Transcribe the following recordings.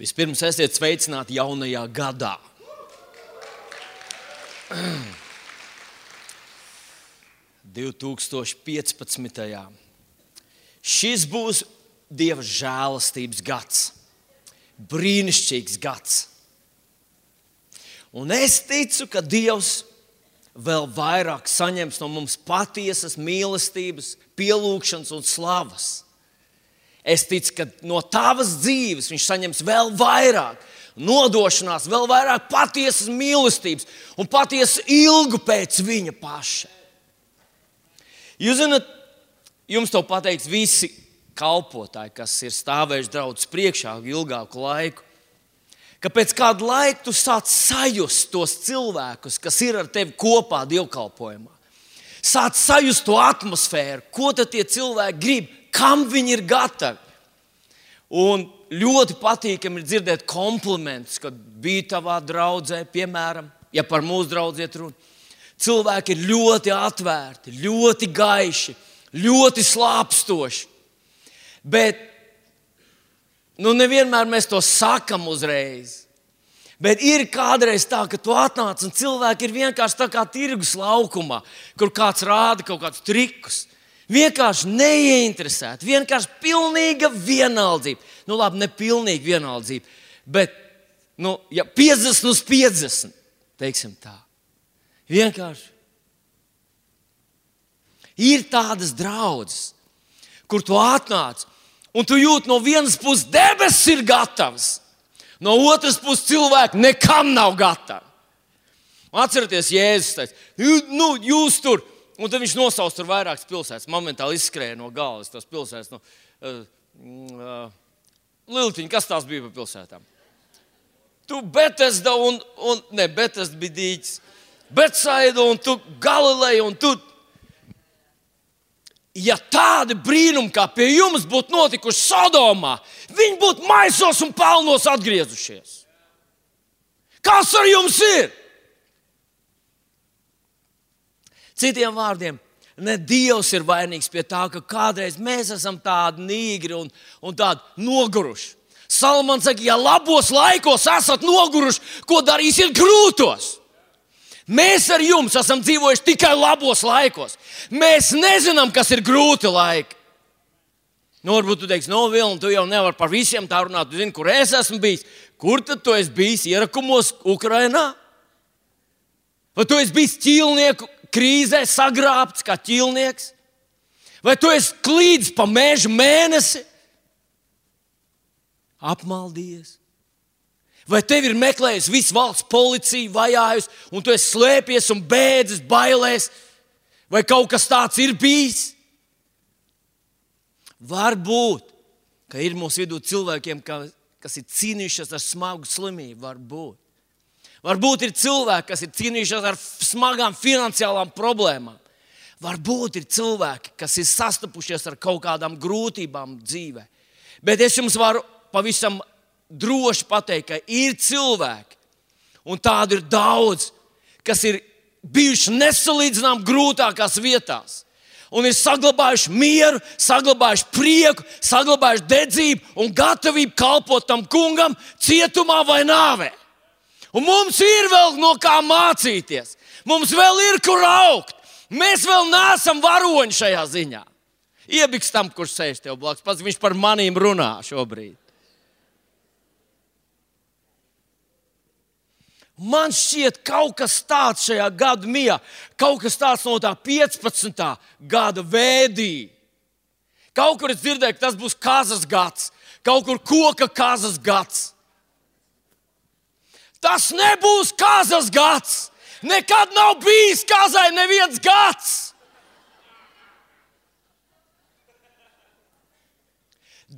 Vispirms esiet sveicināti jaunajā gadā. Šis būs Dieva žēlastības gads. Brīnišķīgs gads. Un es ticu, ka Dievs vēl vairāk saņems no mums patiesas mīlestības, pielūgšanas un slavas. Es ticu, ka no tavas dzīves viņš saņems vēl vairāk nodošanās, vēl vairāk patiesas mīlestības un patiesas ilgu pēc viņa paša. Jūs zināt, jums to pateiks visi kalpotāji, kas ir stāvējuši draudzes priekšā ilgāku laiku, ka pēc kāda laika tu sāc sajust tos cilvēkus, kas ir ar tevi kopā dievkalpojumā. Sāc sajust to atmosfēru, ko tad tie cilvēki grib, kam viņi ir gatavi. Un ļoti patīkami ir dzirdēt komplimentus, kad bija tavā draudzē, piemēram, ja par mūsu draudzi iet runa. Cilvēki ir ļoti atvērti, ļoti gaiši, ļoti slāpstoši. Bet nevienmēr mēs to sakam uzreiz. Bet ir kādreiz tā, ka tu atnāc un cilvēki ir vienkārši tā kā tirgus laukumā, kur kāds rāda kaut kādus trikus. Vienkārši neieinteresēti, vienkārši pilnīga vienaldzība. Labi, ne pilnīga vienaldzība, bet 50/50, teiksim tā. Vienkārši. Ir tādas draudzes, kur tu atnāc, un tu jūti no vienas puses debesis ir gatavs, no otras puses cilvēki nekam nav gatavi. Atcerieties, Jēzus teica, jūs tur, un tad viņš nosauc tur vairākas pilsētas, momentāli izskrēja no galvas tās pilsētas. Liltiņa, kas tās bija par pilsētām? Tu Betesda Betesda bija dīķis, Betsaida un tu Galileja un tu. Ja tādi brīnumi kā pie jums būtu notikuši Sodomā, viņi būtu maisos un pelnos atgriezušies. Kas ar jums ir? Citiem vārdiem, ne Dievs ir vainīgs pie tā, ka kādreiz mēs esam tādi nīgri un tādi noguruši. Salamans saka, ja labos laikos esat noguruši, ko darīsiet grūtos? Mēs ar jums esam dzīvojuši tikai labos laikos. Mēs nezinām, kas ir grūti laiki. Varbūt tu teiksi, Vilni, tu jau nevari par visiem tā runāt. Tu zini, kur es esmu bijis. Kur tad tu esi bijis ierakumos Ukrainā? Vai tu esi bijis ķīlnieku krīzē sagrābts kā ķīlnieks? Vai tu esi klīdis pa mežu mēnesi? Apmaldījies? Vai tevi ir meklējusi visu valsts policija, vajājusi, un tu esi slēpies un bēdzis, bailēs? Vai kaut kas tāds ir bijis? Varbūt, ka ir mūsu vidū cilvēkiem, kas ir cīnījušies ar smagu slimību. Varbūt ir cilvēki, kas ir cīnījušies ar smagām finansiālām problēmām. Varbūt ir cilvēki, kas ir sastapušies ar kaut kādām grūtībām dzīvē. Bet es jums varu pavisam droši pateikt, ka ir cilvēki, un tādu ir daudz, kas ir bijuši nesalīdzinām grūtākās vietās. Un ir saglabājuši mieru, saglabājuši prieku, saglabājuši dedzību un gatavību kalpot tam kungam cietumā vai nāvē. Un mums ir vēl no kā mācīties. Mums vēl ir kur augt. Mēs vēl neesam varoņi šajā ziņā. Iebiks tam, kurš sēž tev blakus. Pats viņš par manīm runā šobrīd. Man šķiet kaut kas tāds šajā gada mijā, kaut kas tāds no tā 15. gada vēdī. Kaut kur es dzirdēju, ka tas būs kazas gads, kaut kur koka kazas gads. Tas nebūs kazas gads. Nekad nav bijis kazai neviens gads.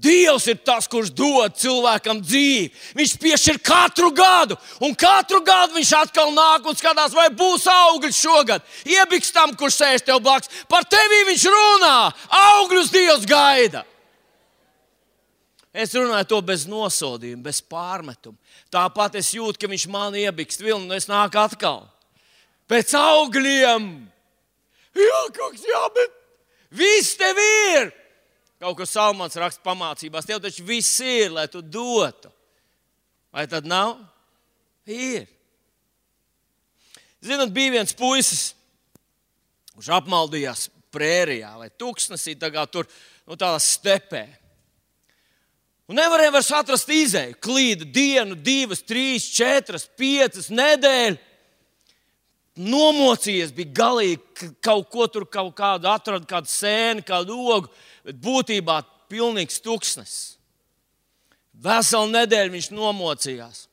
Dievs ir tas, kurš dod cilvēkam dzīvi. Viņš piešķir katru gadu, un katru gadu viņš atkal nāk un skatās, vai būs augļi šogad. Iebiks tam, kurš sēž tev blakus. Par tevi viņš runā. Augļus Dievs gaida. Es runāju to bez nosodījuma, bez pārmetuma. Tāpat es jūtu, ka viņš man iebikst vilni, un es nāku atkal. Pēc augļiem. Jā, bet viss tev ir. Kaut ko Salmans raksta pamācībās. Tev taču viss ir, lai tu dotu. Vai tad nav? Ir. Zināt, bija viens puisis, kurš apmaldījās prērijā vai tuksnesī, tur tādā stepē. Un nevarēja vairs atrast izēju. Klīda dienu, 2, 3, 4, 5 nedēļu. Nomocījies, bija galīgi kaut ko tur, atrada kādu sēni, kādu ogu, bet būtībā pilnīgs tuksnes. Veselu nedēļu viņš nomocījās.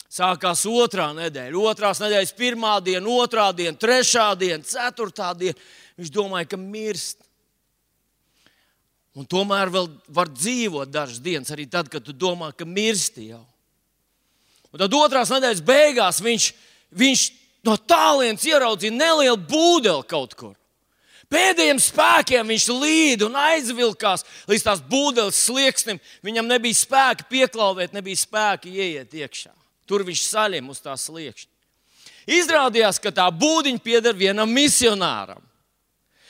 Sākās 2. nedēļa, 2. nedēļas 1. diena, 2. diena, 3. diena, 4. diena. Viņš domāja, ka mirst. Un tomēr vēl var dzīvot dažas dienas, arī tad, kad tu domā, ka mirsti jau. Un tad 2. nedēļas beigās viņš no tālienes ieraudzīja nelielu būdeli kaut kur. Pēdējiem spēkiem viņš līd un aizvilkās līdz tās būdeles slieksnim. Viņam nebija spēka pieklauvēt, nebija spēka ieiet iekšā. Tur viņš saļem uz tā sliekšņa. Izrādījās, ka tā būdiņa pieder vienam misionāram.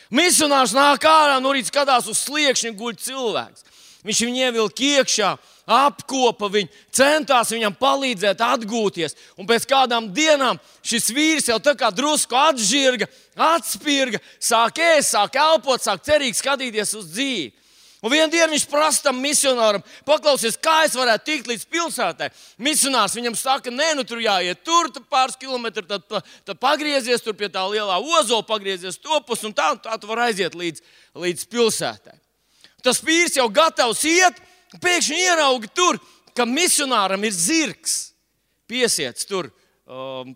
Misionārs nāk ārā, no rīta skatās uz sliekšņa, guļ cilvēks. Viņš viņu ievilka iekšā, apkopa viņu, centās viņam palīdzēt atgūties. Un pēc kādām dienām šis vīrs jau tā kā drusku atžirga, atspirga, sāk ēst, sāk elpot, sāk cerīgi skatīties uz dzīvi. Un vienā dienā viņš prasa tam misionāram, paklausies, kā es varētu tikt līdz pilsētai. Misionārs viņam saka, nē, tur jāiet tur pāris kilometri, tad pagriezies tur pie tā lielā ozola, pagriezies topus un tā tu var aiziet līdz pilsētai. Tas vīrs jau gatavs iet, pēkšņi ierauga tur, ka misionāram ir zirgs piesiets tur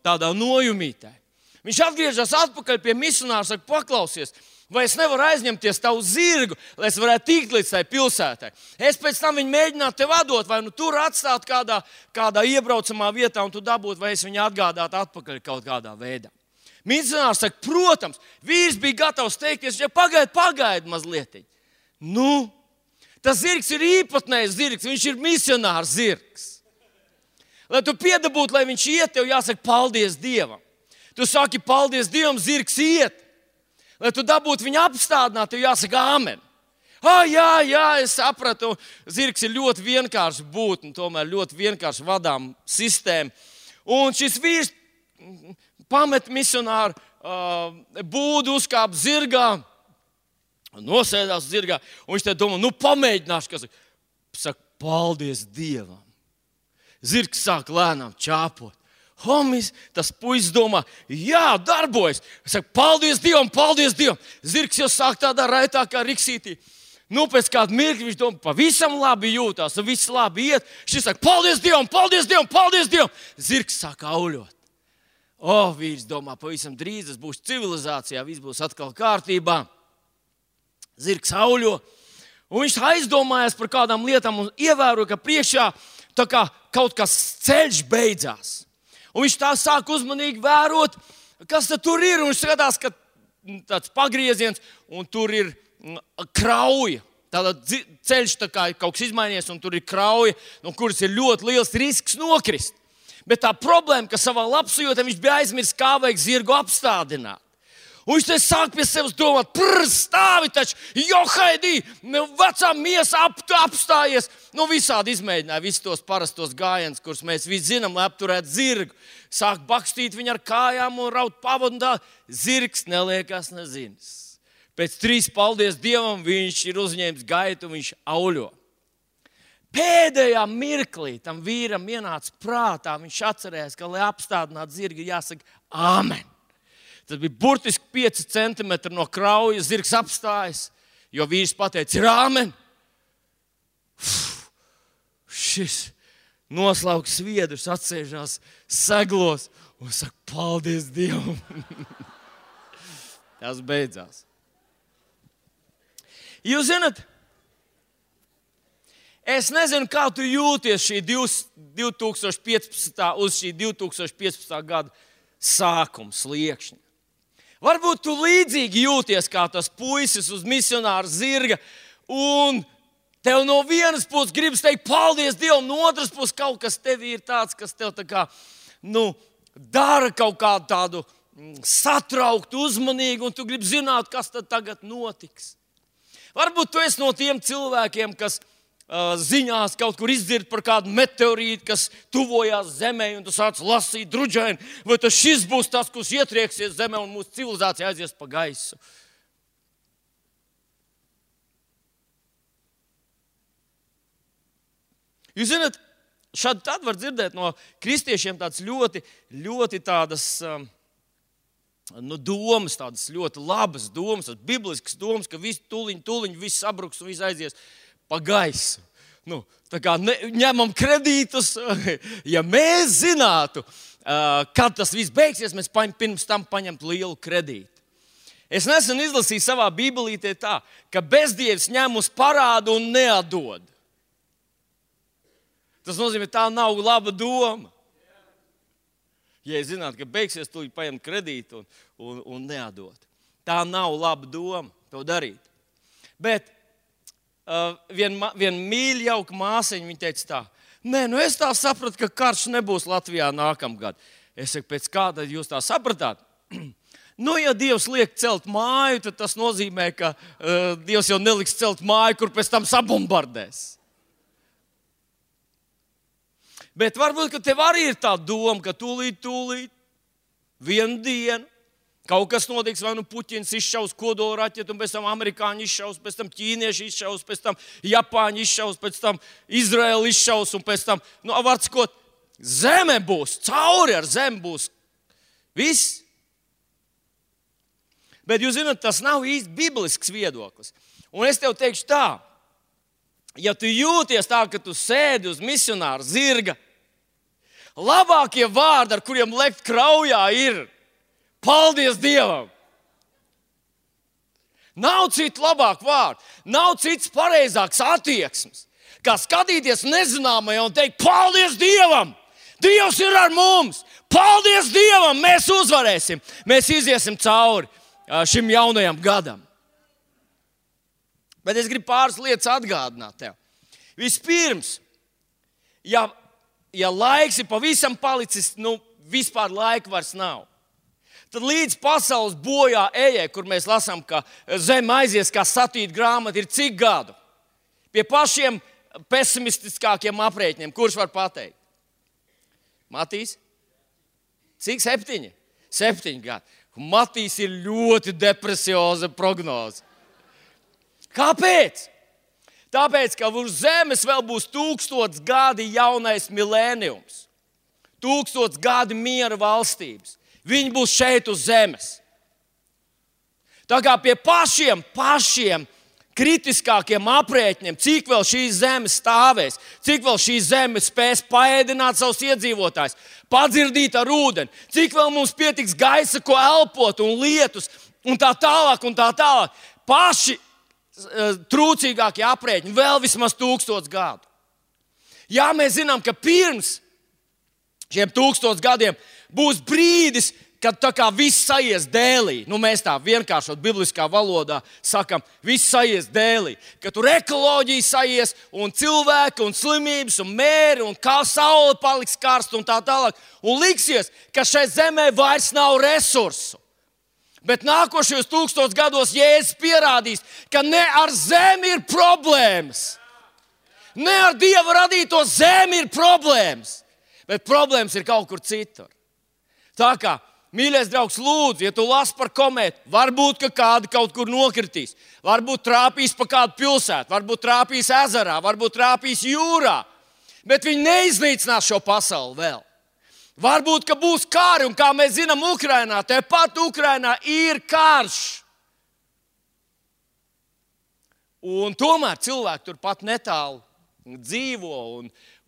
tādā nojumītē. Viņš atgriežas atpakaļ pie misionāra, saka, paklausies, vai es nevaru aizņemties tavu zirgu, lai es varētu tikt līdz tai pilsētai. Es pēc tam viņu mēģinātu tev atdot, vai tur atstāt kādā iebraucamā vietā, un tu dabūtu, vai es viņu atgādātu atpakaļ kaut kādā veidā. Misionārs saka, protams, vīrs bija gatavs teikties, ja pagaidi mazliet. Nu, tas zirgs ir īpatnējs zirgs, viņš ir misionārs zirgs. Lai tu piedabūtu, lai viņš iet, tev jāsaka paldies Dievam. Tu saki paldies Dievam, zirgs iet. Lai tu dabūtu viņu apstādināt, tev jāsaka āmen. Jā, es sapratu, zirgs ir ļoti vienkārši būtne, tomēr ļoti vienkārši vadām sistēma. Un šis vīrs pamet misionāru būdu, uzkāp zirgā, nosēdās zirgā, un viņš te domā, pamēģināšu, kas saka, paldies Dievam. Zirgs sāk lēnām čāpot. Homis, tas puisis domā, jā, darbojas. Es saku, paldies Dievam, paldies Dievam. Zirgs jau sāk tādā raitā kā riksītī. Pēc kāda mirkļa viņš domā, pavisam labi jūtās, un viss labi iet. Šis saka, paldies Dievam, paldies Dievam, paldies Dievam. Zirgs sāk auļot. Vīrs domā, pavisam drīz es būšu civilizācijā, viss būs atkal kārtībā. Zirgs auļo, un viņš aizdomājās par kādām lietām un ievēro, ka priekšā tā kā kaut kas ceļš beidzās. Un viņš tā sāk uzmanīgi vērot, kas tur ir. Un viņš skatās, ka tāds pagrieziens, un tur ir krauja. Tātad ceļš tā kā kaut kas izmainies, un tur ir krauja, no kuras ir ļoti liels risks nokrist. Bet tā problēma, ka savā labsajūtā viņš bija aizmirsis, kā vajag zirgu apstādināt. Un viņš te sāk pie sevis domāt, stāvi taču, Johaidī, vecā miesa apstājies. Visādi izmēģināja visus tos parastos gājienus, kurus mēs visi zinām, lai apturētu zirgu. Sāk bakstīt viņu ar kājām un raut pavadu un tā. Zirgs neliekās nezinis. Pēc 3 paldies Dievam viņš ir uzņēmis gaitu un viņš auļo. Pēdējā mirklī tam vīram ienāca prātā, viņš atcerējās, ka, lai apstādinātu zirgu, jāsaka āmen. Tas bija burtiski 5 centimetri no kraujas, zirgs apstājas, jo vīrs pateica, ir āmen. Šis noslauks sviedrus, atsēžās seglos un saka, paldies Dievam. Tas beidzās. Jūs zināt, es nezinu, kā tu jūties šī 2015. uz šī 2015. gada sākuma sliekšņa. Varbūt tu līdzīgi jūties kā tas puisis uz misionāra zirga, un tev no vienas puses gribas teikt paldies Dievam, no otras puses kaut kas tevī ir tāds, kas tev tā kā, dara kaut kādu tādu satrauktu, uzmanīgu, un tu gribi zināt, kas tad tagad notiks. Varbūt tu esi no tiem cilvēkiem, kas ziņās kaut kur izdzird par kādu meteorītu, kas tuvojās Zemē, un tu sāc lasīt druģaini, vai tas šis būs tas, kurš ietrieksies Zemē un mūsu civilizācija aizies pa gaisu. Jūs zināt, šādi tad var dzirdēt no kristiešiem tādas ļoti tādas domas, tādas ļoti labas domas, tādas bibliskas domas, ka viss tūliņ viss sabruks un viss aizies pa gaisu. Tā kā ņemam kredītus, ja mēs zinātu, kad tas viss beigsies, mēs pirms tam paņemtu lielu kredītu. Es nesen izlasīju savā bībelītē tā, ka bezdievs ņem uz parādu un neatdod. Tas nozīmē, tā nav laba doma. Ja es zinātu, ka beigsies, tu paņem kredītu un neatdot. Tā nav laba doma to darīt. Bet viena mīļa jauka māsiņa, viņa teica tā, es tā sapratu, ka karš nebūs Latvijā nākamgad. Es saku, pēc kā tad jūs tā sapratāt? Ja Dievs liek celt māju, tad tas nozīmē, ka Dievs jau neliks celt māju, kur pēc tam sabombardēs. Bet varbūt, ka tev arī ir tā doma, ka tūlīt, vienu dienu, kaut kas notiks, vai Puķins izšaus kodolraķetu, un pēc tam amerikāņi izšaus, pēc tam ķīnieši izšaus, pēc tam japāņi izšaus, pēc tam Izraēla izšaus, un pēc tam, var sakot, zeme būs, cauri ar zemi būs viss. Bet jūs zināt, tas nav īsti biblisks viedoklis. Un es tev teikšu tā, ja tu jūties tā, ka tu sēdi uz misionāra zirga, labākie vārdi, ar kuriem lekt kraujā, ir paldies Dievam. Nav citu labāku vārdu, nav cits pareizāks attieksmes, kā skatīties nezināmajā un teikt paldies Dievam. Dievs ir ar mums, paldies Dievam, mēs uzvarēsim, mēs iziesim cauri šim jaunajam gadam. Bet es gribu pāris lietas atgādināt tev. Vispirms, ja laiks ir pavisam palicis, vispār laika vairs nav, tad līdz pasaules bojā ejai, kur mēs lasām, ka zeme aizies kā satīta grāmata, ir cik gadu? Pie pašiem pesimistiskākiem aprēķiniem, kurš var pateikt? Matīs? Cik? 7? 7 gadi. Matīs ir ļoti depresioza prognoze. Kāpēc? Tāpēc, ka uz zemes vēl būs 1000 gadi jaunais milēniums. 1000 gadi miera valstības. Viņi būs šeit uz zemes. Tā kā pie pašiem kritiskākiem aprēķiniem, cik vēl šī zeme stāvēs, cik vēl šī zeme spēs paēdināt savus iedzīvotājus, padzirdīt ar ūdeni, cik vēl mums pietiks gaisa, ko elpot un lietus un tā tālāk. Paši trūcīgākie aprēķini vēl vismaz 1000 gadu. Jā, mēs zinām, ka pirms šiem 1000 gadiem būs brīdis, kad tā kā viss saies dēlī. Mēs tā vienkāršot bibliskā valodā sakam, viss saies dēlī. Ka tur ekoloģija saies un cilvēki un slimības un mēri un kā saule paliks karsta un tā tālāk. Un liksies, ka šai zemē vairs nav resursu. Bet nākošajos 1000 gados Jēzus pierādīs, ka ne ar zemi ir problēmas. Ne ar Dieva radīto zemi ir problēmas. Bet problēmas ir kaut kur citur. Tā kā, mīļais draugs, lūdzu, ja tu lasi par komētu, varbūt, ka kādi kaut kur nokritīs. Varbūt trāpīs pa kādu pilsētu, varbūt trāpīs ezerā, varbūt trāpīs jūrā. Bet viņi neiznīcinās šo pasauli vēl. Varbūt, ka būs kāri, un kā mēs zinām, Ukrainā, tepat Ukrainā ir karš. Un tomēr cilvēki turpat netālu dzīvo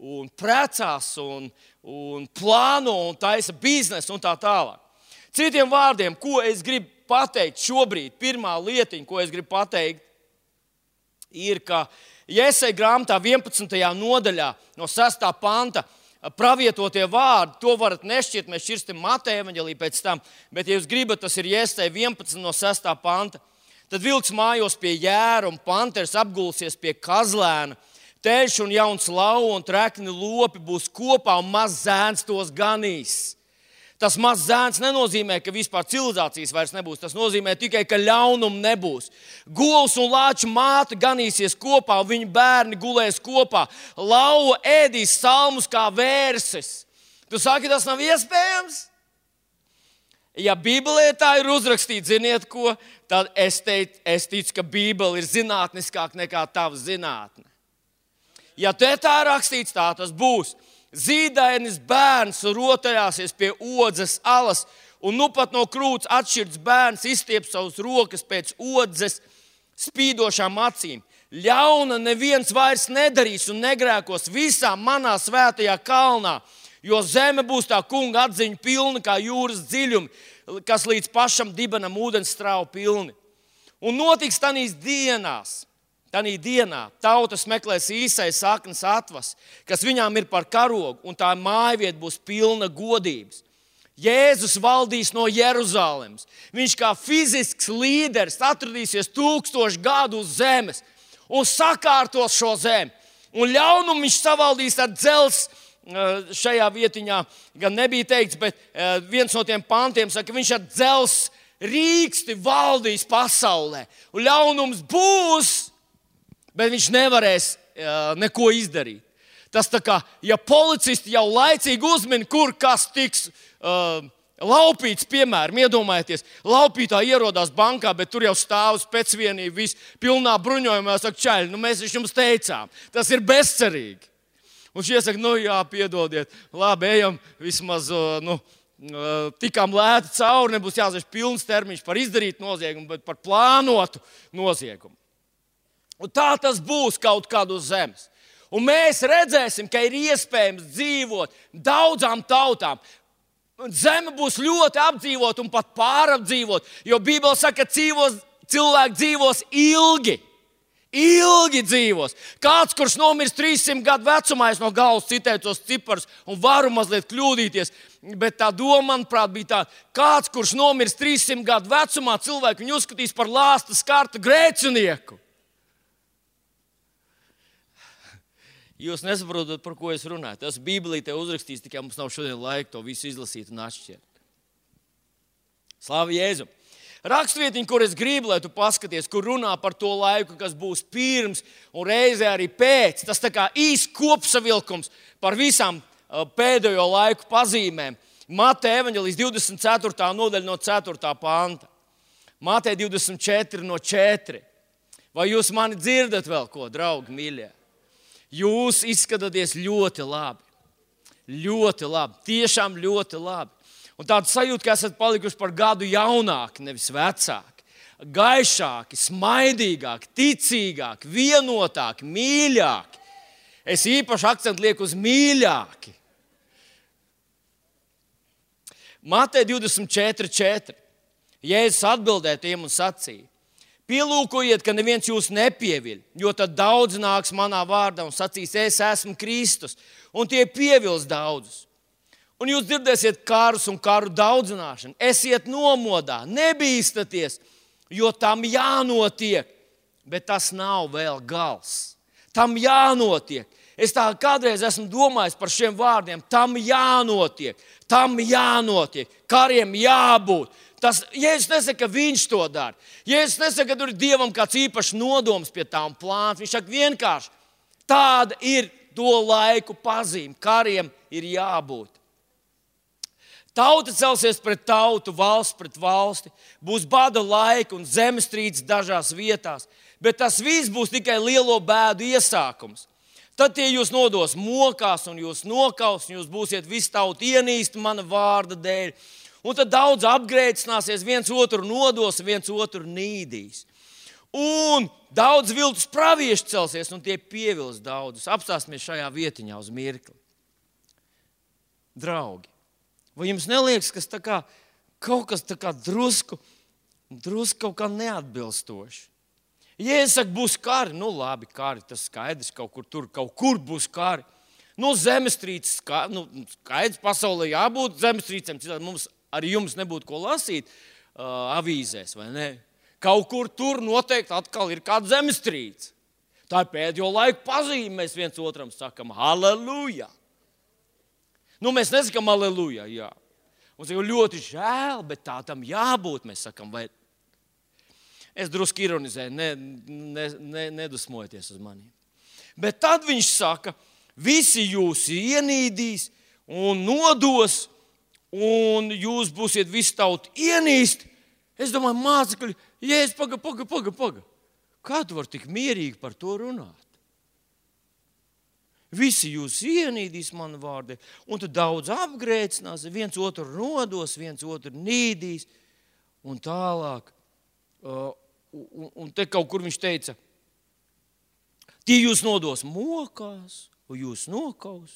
un precās un plāno un taisa biznesu un tā tālāk. Citiem vārdiem, ko es gribu pateikt šobrīd, pirmā lietiņa, ko es gribu pateikt, ir, ka Jesaja grāmatā 11. nodaļā no 6. panta pravietotie vārdi, to varat nešķirt, mēs šķirstam Mateja evaņģēliju pēc tam, bet, ja jūs gribat, tas ir Jesaja 11 no 6. panta. Tad vilks mājos pie jēra un panteris apgulsies pie kazlēna, teļš un jauns lauva un trekni lopi būs kopā un mazs zēns tos ganīs. Tas mazs zēns nenozīmē, ka vispār civilizācijas vairs nebūs. Tas nozīmē tikai, ka ļaunumu nebūs. Govs un lāču māte ganīsies kopā, un viņu bērni gulēs kopā. Lauva ēdīs salmus kā vērses. Tu saki, tas nav iespējams? Ja Bībelē tā ir uzrakstīts, ziniet ko, tad es ticu, ka Bībele ir zinātniskāka nekā tava zinātne. Ja te tā ir rakstīts, tā tas būs. Zīdainis bērns rotaļāsies pie odzes alas, un nu pat no krūts atšķirts bērns izstiep savus rokas pēc odzes spīdošām acīm. Ļauna neviens vairs nedarīs un negrēkos visā manā svētajā kalnā, jo zeme būs tā kunga atziņa pilna kā jūras dziļumi, kas līdz pašam dibenam ūdens strauji pilni. Un notiks Tanī dienā tautas meklēs īsai saknes atvas, kas viņām ir par karogu, un tā mājvieta būs pilna godības. Jēzus valdīs no Jeruzalemes. Viņš kā fizisks līderis atradīsies 1000 gadu uz zemes un sakārtos šo zemi. Un ļaunumu viņš savaldīs ar dzelzs. Šajā vietiņā gan nebija teikts, bet viens no tiem pantiem saka, ka viņš ar dzelzs rīksti valdīs pasaulē. Un ļaunums būs, bet viņš nevarēs neko izdarīt. Tas tā kā, ja policisti jau laicīgi uzmin, kur kas tiks laupīts, piemēram, iedomājieties, laupītāji ierodās bankā, bet tur jau stāv specvienība, viss pilnā bruņojumā, saka, čaļi, mēs jums teicām, tas ir bezcerīgi. Un šie saka, jā, piedodiet, labi, ejam vismaz, tikām lēti cauri, nebūs jāsaka pilns termiņš par izdarītu noziegumu, bet par plānotu noziegumu. Un tā tas būs kaut kad uz zemes. Un mēs redzēsim, ka ir iespējams dzīvot daudzām tautām. Zeme būs ļoti apdzīvot un pat pārapdzīvot, jo Bībele saka, ka cilvēki dzīvos ilgi. Ilgi dzīvos. Kāds, kurš nomirs 300 gadu vecumā, es no galvas citēju tos ciparus un varu mazliet kļūdīties, bet tā doma, manuprāt, bija tāda, kāds, kurš nomirs 300 gadu vecumā, cilvēki viņu uzskatīs par lāsta skarta grēcinieku. Jūs nesaprotat, par ko es runāju. Tas Bībelī te uzrakstīts, tikai mums nav šodien laika to visu izlasīt un atšķirt. Slāva Jēzum! Rakstvietiņa, kur es gribu, lai tu paskaties, kur runā par to laiku, kas būs pirms un reizē arī pēc. Tas tā kā īsts kopsavilkums par visām pēdējo laiku pazīmēm. Mateja evaņģelijas 24. nodaļa no 4. panta. Mateja 24 no 4. Vai jūs mani dzirdat vēl ko, draugi mīļie? Jūs izskatāties ļoti labi. Ļoti labi. Tiešām ļoti labi. Un tāda sajūta, ka esat palikuši par gadu jaunāki, nevis vecāki. Gaišāki, smaidīgāki, ticīgāki, vienotāki, mīļāki. Es īpaši akcentu lieku uz mīļāki. Mateja 24:4. Jēzus atbildēja tiem un sacīja: Pielūkojiet, ka neviens jūs nepieviļ, jo tad daudz nāks manā vārdā un sacīs, es esmu Kristus, un tie pievils daudzus. Un jūs dzirdēsiet karus un karu daudzināšanu. Esiet nomodā, nebīstaties, jo tam jānotiek, bet tas nav vēl gals. Tam jānotiek. Es tā kādreiz esmu domājis par šiem vārdiem. Tam jānotiek, kariem jābūt. Jēzus nesaka, ka viņš to dara. Jēzus nesaka, ka tur ir Dievam kāds īpašs nodoms pie tā un plāns. Viņš saka vienkārši, tāda ir to laiku pazīme. Kariem ir jābūt. Tauta celsies pret tautu, valsts pret valsti. Būs bada laika un zemestrīces dažās vietās. Bet tas viss būs tikai lielo bēdu iesākums. Tad tie jūs nodos mokās un jūs nokaus, un jūs būsiet visu tautu ienīsti mana vārda dēļ. Un tad daudz apgrēcināsies, viens otru nodos, viens otru nīdīs. Un daudz viltus pravieši celsies, un tie pievils daudzus. Apstāsimies šajā vietiņā uz mirkli. Draugi, vai jums neliekas, ka kaut kas drusku kaut kā neatbilstoši? Jēzus saka, būs kari. Nu labi, kari, tas skaidrs, kaut kur būs kari. Zemestrīces, skaidrs, pasaulē jābūt zemestrīcēm, citādi mums arī jums nebūtu ko lasīt avīzēs, vai ne? Kaut kur tur noteikti atkal ir kāda zemestrīce. Tā ir pēdējo laiku pazīme, mēs viens otram sakam halleluja. Mēs nesakam halleluja, jā. Mums ir ļoti žēl, bet tā tam jābūt, mēs sakam, vai es drusku ironizēju, nedusmojieties uz mani. Bet tad viņš saka, visi jūs ienīdīs un nodos, un jūs būsiet visu tautu ienīst. Es domāju, mācekļi, Jēzus, paga. Kā tu vari tik mierīgi par to runāt? Visi jūs ienīdīs manu vārdu, un tad daudz apgrēcinās, viens otru nodos, viens otru nīdīs, un tālāk. Un te kaut kur viņš teica, tie jūs nodos mokās, un jūs nokaus.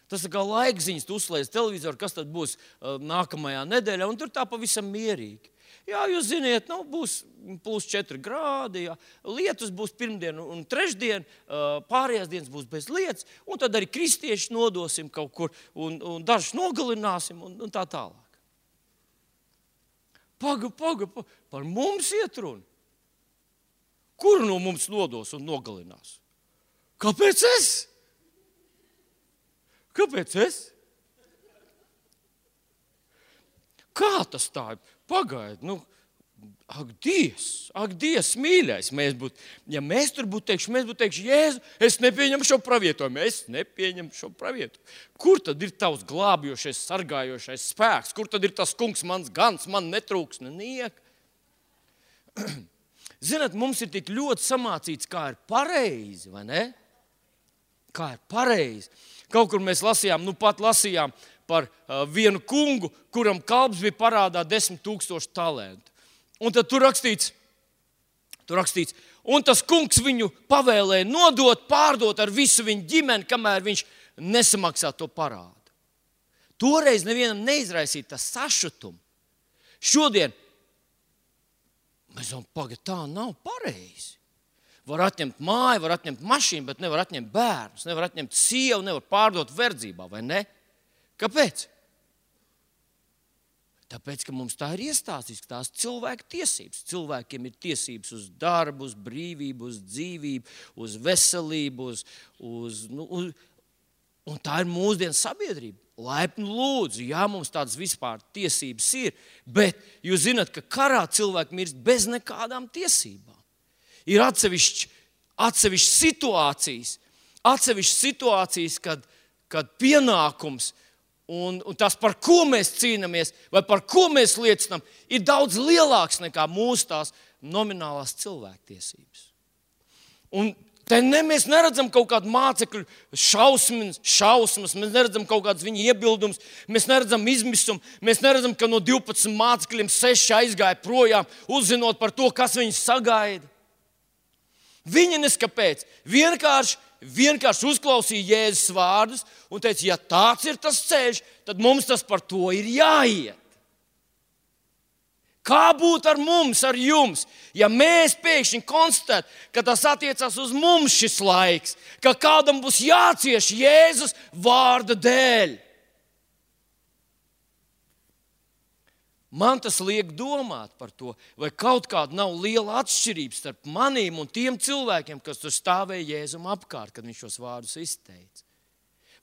Tas ir kā laikziņas, tu uzslēdz televizoru, kas tad būs nākamajā nedēļā, un tur tā pavisam mierīgi. Jā, jūs ziniet, būs +4 grādi, jā. Lietus būs pirmdien un trešdien, pārējās dienas būs bez lietas, un tad arī kristieši nodosim kaut kur, un dažus nogalināsim, un tā tālāk. Paga, par mums iet runa. Kuru no mums nodos un nogalinās? Kāpēc es? Kā tas tā ir? Pagaid, ak, Dievs, mīļais, ja mēs tur būtu teikšu, Jēzu, es nepieņemu šo pravietojumu. Kur tad ir tavs glābjošais, sargājošais spēks? Kur tad ir tas kungs, mans gans, man netrūks neniek? Zināt, mums ir tik ļoti samācīts, kā ir pareizi, vai ne? Kā ir pareizi. Kaut kur mēs lasījām par vienu kungu, kuram kalps bija parādā 10 000 talantu. Un tad tur rakstīts, un tas kungs viņu pavēlēja nodot, pārdot ar visu viņu ģimeni, kamēr viņš nesamaksā to parādu. Toreiz nevienam neizraisīja tas sašutumu. Šodien mēs domājam, tā nav pareizi. Var atņemt māju, var atņemt mašīnu, bet nevar atņemt bērnus, nevar atņemt sievu, nevar pārdot verdzībā, vai ne? Kāpēc? Tāpēc, ka mums tā ir iestāstīts, ka tās cilvēku tiesības. Cilvēkiem ir tiesības uz darbu, uz brīvību, uz dzīvību, uz veselību, un tā ir mūsdienu sabiedrība. Laipni lūdzu, jā, mums tādas vispār tiesības ir, bet jūs zināt, ka karā cilvēki mirst bez nekādām tiesībām. Ir atsevišķas situācijas, kad pienākums un tas, par ko mēs cīnāmies vai par ko mēs liecinām, ir daudz lielāks nekā mūsu tās nominālās cilvēktiesības. Un te mēs neredzam kaut kādu mācekļu šausmas, mēs neredzam kaut kādas viņa iebildumus, mēs neredzam izmisumu, mēs neredzam, ka no 12 mācekļiem 6 aizgāja projām, uzzinot par to, kas viņus sagaida. Viņi neskapēc, vienkārši uzklausīja Jēzus vārdus un teica, ja tāds ir tas ceļš, tad mums tas par to ir jāiet. Kā būtu ar mums, ar jums, ja mēs pēkšņi konstatētu, ka tas attiecās uz mums šis laiks, ka kādam būs jācieš Jēzus vārda dēļ? Man tas liek domāt par to, vai kaut kāda nav liela atšķirība starp maniem un tiem cilvēkiem, kas tur stāvēja Jēzum apkārt, kad viņš šos vārdus izteica.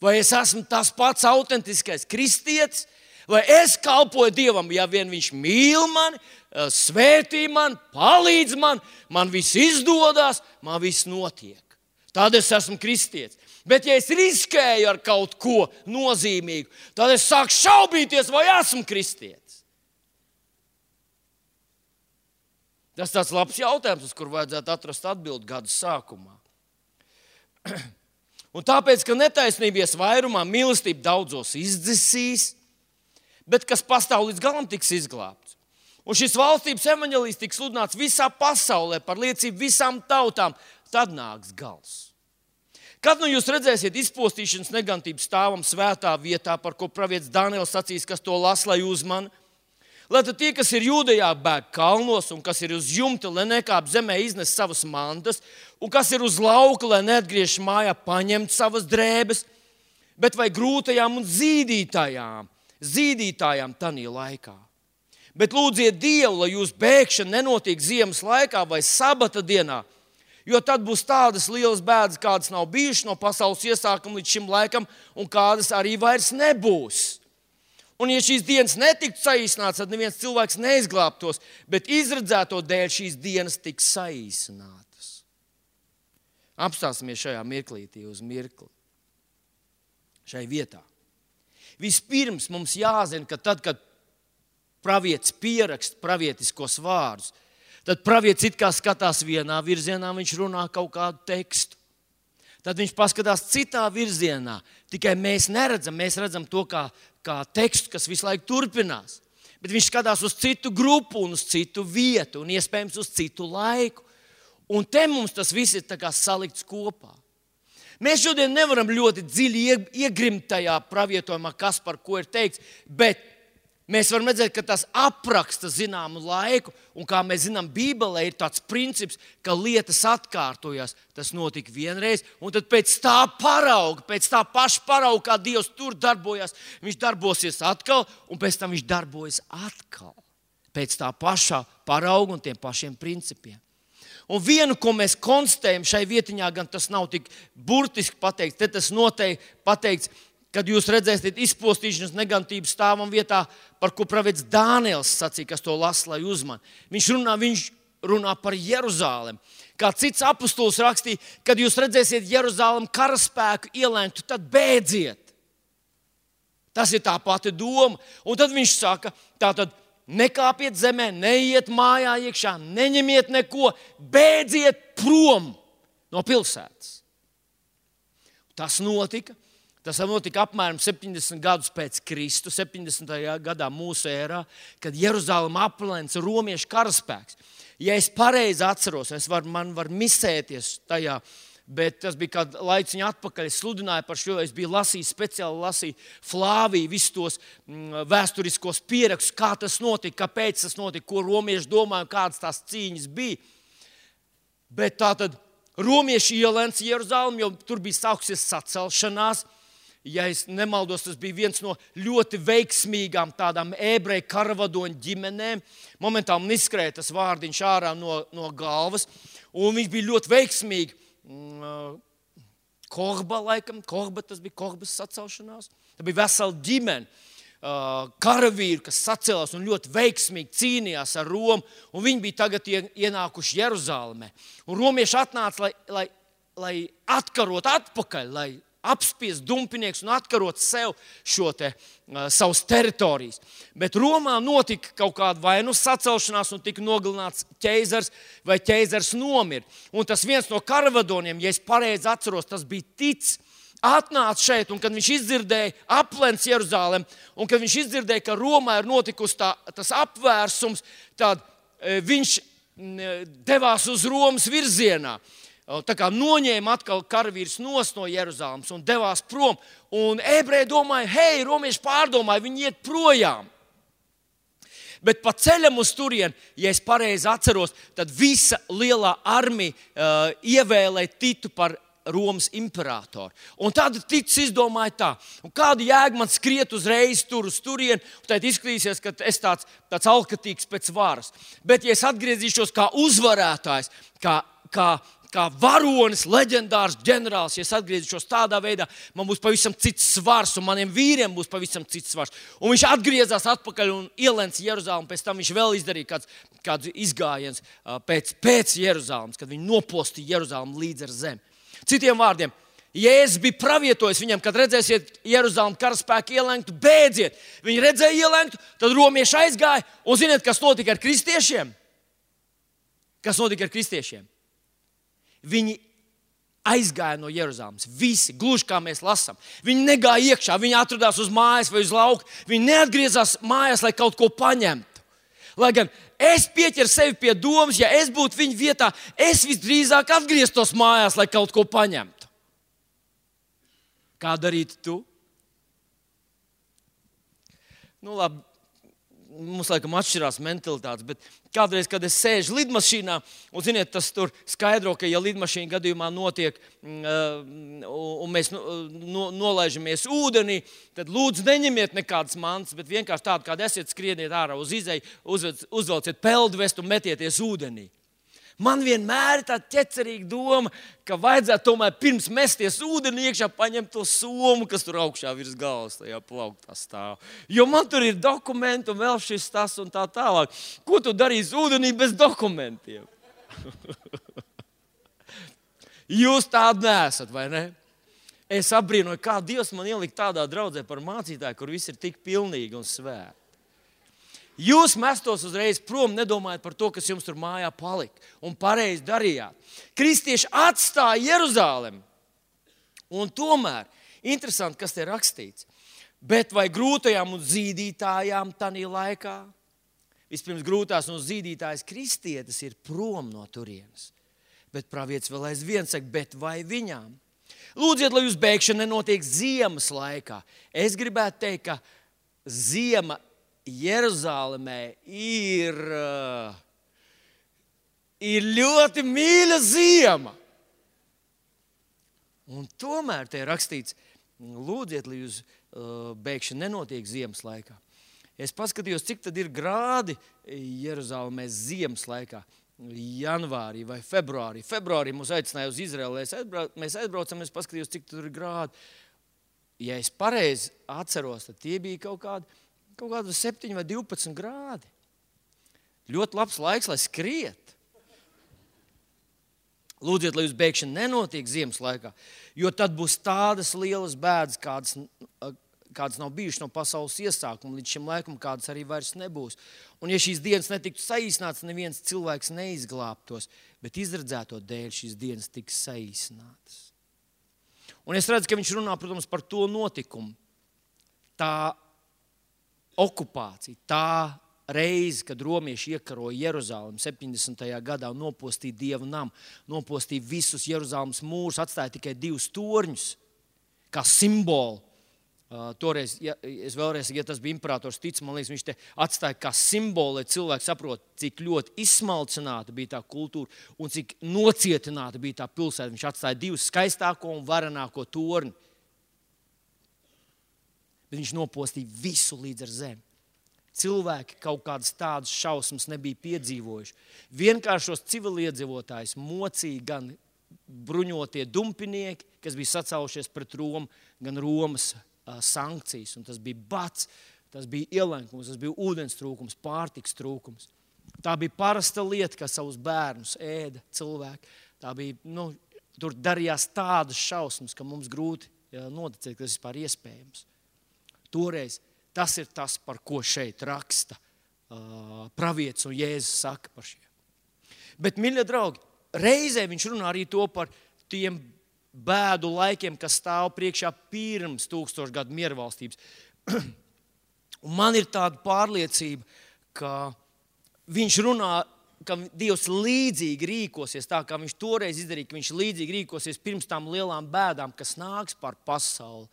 Vai es esmu tas pats autentiskais kristietis, vai es kalpoju Dievam, ja vien viņš mīl mani, svētī mani, palīdz man viss izdodas, man viss notiek. Tad es esmu kristietis. Bet ja es riskēju ar kaut ko nozīmīgu, tad es sāku šaubīties, vai esmu kristietis. Tas tāds labs jautājums, uz kur vajadzētu atrast atbildi gada sākumā. Un tāpēc, ka netaisnības vairumā mīlestība daudzos izdzisīs, bet kas pastāv līdz galam tiks izglābts. Un šis valstības evaņģēlijs tiks sludināts visā pasaulē par liecību visām tautām, tad nāks gals. Kad nu jūs redzēsiet izpostīšanas negantību stāvam svētā vietā, par ko pravietis Daniels sacīs, kas to las, lai uzmana, lai tad tie, kas ir Jūdejā, bēg kalnos, un kas ir uz jumta, lai nekāp zemē iznes savas mantas, un kas ir uz lauka, lai neatgriež mājā paņemt savas drēbes, bet vai grūtajām un zīdītājām tanī laikā. Bet lūdziet Dievu, lai jūsu bēgšana nenotiek ziemas laikā vai sabata dienā, Jo tad būs tādas lielas bēdas, kādas nav bijušas no pasaules iesākuma līdz šim laikam, un kādas arī vairs nebūs. Un ja šīs dienas netiktu saīsinātas, tad neviens cilvēks neizglābtos, bet izredzēto dēļ šīs dienas tiks saīsinātas. Apstāsimies šajā mirklītī uz mirkli. Šai vietā. Vispirms mums jāzina, ka tad, kad pravietis pieraksta pravietiskos vārdus, tad pravietis it kā skatās vienā virzienā, viņš runā kaut kādu tekstu. Tad viņš paskatās citā virzienā, tikai mēs neredzam, mēs redzam to kā tekstu, kas visu laiku turpinās. Bet viņš skatās uz citu grupu un uz citu vietu un iespējams uz citu laiku. Un te mums tas viss ir tā kā salikts kopā. Mēs šodien nevaram ļoti dziļi iegrimt tajā pravietojumā, kas par ko ir teikts, bet mēs varam redzēt, ka tas apraksta zināmu laiku, un kā mēs zinām, Bībelē ir tāds princips, ka lietas atkārtojas. Tas notika vienreiz, un tad pēc tā paša parauga, kā Dievs tur darbojas, viņš darbosies atkal, un pēc tam viņš darbojas atkal. Pēc tā pašā parauga un tiem pašiem principiem. Un vienu, ko mēs konstatējam šai vietiņā, gan tas nav tik burtiski pateikts, te tas noteikti pateikts, kad jūs redzēsiet izpostīšanas negantības stāvam vietā, par ko pravietis Dāniels sacīja, kas to lasa, lai uzman. Viņš runā par Jeruzālemi. Kā cits apustulis rakstīja, kad jūs redzēsiet Jeruzālemi karaspēku ielēntu, tad bēdziet. Tas ir tā pati doma. Un tad viņš saka, tātad nekāpiet zemē, neiet mājā iekšā, neņemiet neko, bēdziet prom no pilsētas. Tas notika apmēram 70 gadus pēc Kristu, 70. gadā mūsu ērā, kad Jeruzalema aplenca romiešu karaspēks. Ja es pareizi atceros, man var misēties tajā, bet tas bija kādu laiciņu atpakaļ. Es sludināju par šo, es biju speciāli lasīju Flāviju, visus tos vēsturiskos pierakstus, kā tas notika, kāpēc tas notika, ko romieši domāja, kādas tās cīņas bija. Bet tātad romieši ielēca Jeruzalemi, jo tur bija sākusies sacelšanās. Ja es nemaldos, tas bija viens no ļoti veiksmīgām tādām ebreju karavadoņu ģimenēm. Momentāli man izskrēja tas vārdiņš ārā no galvas, un viņš bija ļoti veiksmīgi. Tas bija Kohbas sacelšanās. Tā bija vesela ģimene karavīru, kas sacēlās un ļoti veiksmīgi cīnījās ar Romu, un viņi bija tagad ienākuši Jeruzālemē. Un romieši atnāca, lai atkarot atpakaļ, lai apspiest dumpinieks un atkarot sev savas teritorijas. Bet Romā notika kaut kāda vai nu sacelšanās un tika nogalināts ķeizars vai ķeizars nomira. Un tas viens no karavadoniem, ja es pareizi atceros, tas bija Tic, atnāca šeit, un kad viņš izdzirdēja aplenc Jeruzalemi, un kad viņš izdzirdēja, ka Romā ir notikusi tas apvērsums, tad viņš devās uz Romas virzienā. Tā kā noņēma atkal karavīrs no Jeruzalemes un devās prom. Un ebreji domāja, hei, romieši pārdomāja, viņi iet projām. Bet pa ceļam uz turieni, ja es pareizi atceros, tad visa lielā armija ievēlēja Titu par Romas imperatoru. Un tad Titus izdomāja tā, un kāda jēga man skriet uzreiz tur uz turieni, un tad izskatīsies, ka es tāds alkatīgs pēc varas. Bet ja es atgriezīšos kā uzvarētājs, kā varonis, leģendārs ģenerālis, ja es atgriezīšos tādā veidā, man būs pavisam cits svars, un maniem vīriem būs pavisam cits svars. Un viņš atgriezās atpakaļ un ielēca Jeruzalemi, pēc tam viņš vēl izdarīja kāds izgājiens pēc Jeruzalemes, kad viņi nopostīja Jeruzalemi līdz ar zemi. Citiem vārdiem, Jēzus bija pravietojis viņam, kad redzēsiet Jeruzalemi karaspēku ielēktu, bēdziet. Viņi redzēja ielēktu, tad romieši aizgāja, un ziniet, kas notika ar kristiešiem? Kas notika ar kristiešiem? Viņi aizgāja no Jeruzalemes. Visi, gluži kā mēs lasām. Viņi negāja iekšā, viņi atradās uz mājas vai uz lauka. Viņi neatgriezās mājās, lai kaut ko paņemtu. Lai gan es pieķeru sevi pie domas, ja es būtu viņa vietā, es visdrīzāk atgrieztos mājās, lai kaut ko paņemtu. Kā darītu tu? Nu labi. Mums laikam atšķirās mentalitātes, bet kādreiz, kad es sēžu lidmašīnā, un ziniet, tas tur skaidro, ka ja lidmašīna gadījumā notiek un mēs nolaižamies ūdenī, tad lūdzu neņemiet nekādas mantas, bet vienkārši tādu, kāda esiet, skrieniet ārā uz izeju, uzvelciet peldvestu un metieties ūdenī. Man vienmēr ir tāda ķecerīga doma, ka vajadzētu tomēr pirms mesties ūdenī iekšā paņemt to somu, kas tur augšā virs galvas tajā plauktā stāv. Jo man tur ir dokumenti un vēl šis tas un tā tālāk. Ko tu darīsi ūdenī bez dokumentiem? Jūs tādi neesat, vai ne? Es apbrīnoju, kā Dievs man ielika tādā draudzē par mācītāju, kur viss ir tik pilnīgi un svēti. Jūs mestos uzreiz prom, nedomājot par to, kas jums tur mājā palika, un pareizi darījāt. Kristieši atstāja Jeruzalemi. Un tomēr, interesanti, kas te rakstīts, bet vai grūtajām un zīdītājām tanī laikā? Vispirms grūtās un zīdītājas kristietis ir prom no turienes. Bet pravietis vēl aizvien saka, bet vai viņām? Lūdziet, lai jūs bēgšana nenotiek ziemas laikā. Es gribētu teikt, ka ziema Jeruzalemē ir ļoti mīļa ziema. Un tomēr te ir rakstīts, lūdziet, lai jūs bēgšana nenotiek ziemas laikā. Es paskatījos, cik tad ir grādi Jeruzalemē ziemas laikā. Janvārī vai februārī. Februārī mūs aicināja uz Izraeli. Mēs aizbraucam, es paskatījos, cik tur ir grādi. Ja es pareizi atceros, tad tie bija kaut kādi 7 vai 12 grādi. Ļoti labs laiks, lai skriet. Lūdziet, lai jūs bēgšana nenotiek ziemas laikā, jo tad būs tādas lielas bēdas, kādas nav bijušas no pasaules iesākuma, līdz šim laikam, kādas arī vairs nebūs. Un ja šīs dienas netiktu saīsinātas, neviens cilvēks neizglābtos, bet izredzēto dēļ šīs dienas tiks saīsinātas. Un es redzu, ka viņš runā, protams, par to notikumu. Tā okupācija, tā reize, kad romieši iekaroja Jeruzalemi 70. gadā un nopostīja Dieva namu, nopostīja visus Jeruzalemes mūrus, atstāja tikai 2 torņus, kā simbolu. Toreiz, ja tas bija imperators Tic, man liekas, viņš te atstāja kā simbolu, lai cilvēki saprot, cik ļoti izsmalcināta bija tā kultūra un cik nocietināta bija tā pilsēta. Viņš atstāja 2 skaistāko un varenāko torni. Bet viņš nopostīja visu līdz ar zemi. Cilvēki kaut kādas tādas šausmas nebija piedzīvojuši. Vienkāršos civiliedzīvotājus mocīja gan bruņotie dumpinieki, kas bija sacēlušies pret Romu, gan Romas sankcijas. Un tas bija bats, tas bija ielenkums, tas bija ūdens trūkums, pārtiks trūkums. Tā bija parasta lieta, kā savus bērnus ēda cilvēki. Tā bija, tur darījās tādas šausmas, ka mums grūti noticēt, ka tas vispār iespējams. Toreiz tas ir tas, par ko šeit raksta pravietis un Jēzus saka par šiem. Bet, mīļie draugi, reizē viņš runā arī to par tiem bēdu laikiem, kas stāv priekšā pirms 1000 gadu miervalstības. Un man ir tāda pārliecība, ka viņš runā, ka Dievs līdzīgi rīkosies, tā kā viņš toreiz izdarīja, ka viņš līdzīgi rīkosies pirms tām lielām bēdām, kas nāks par pasauli,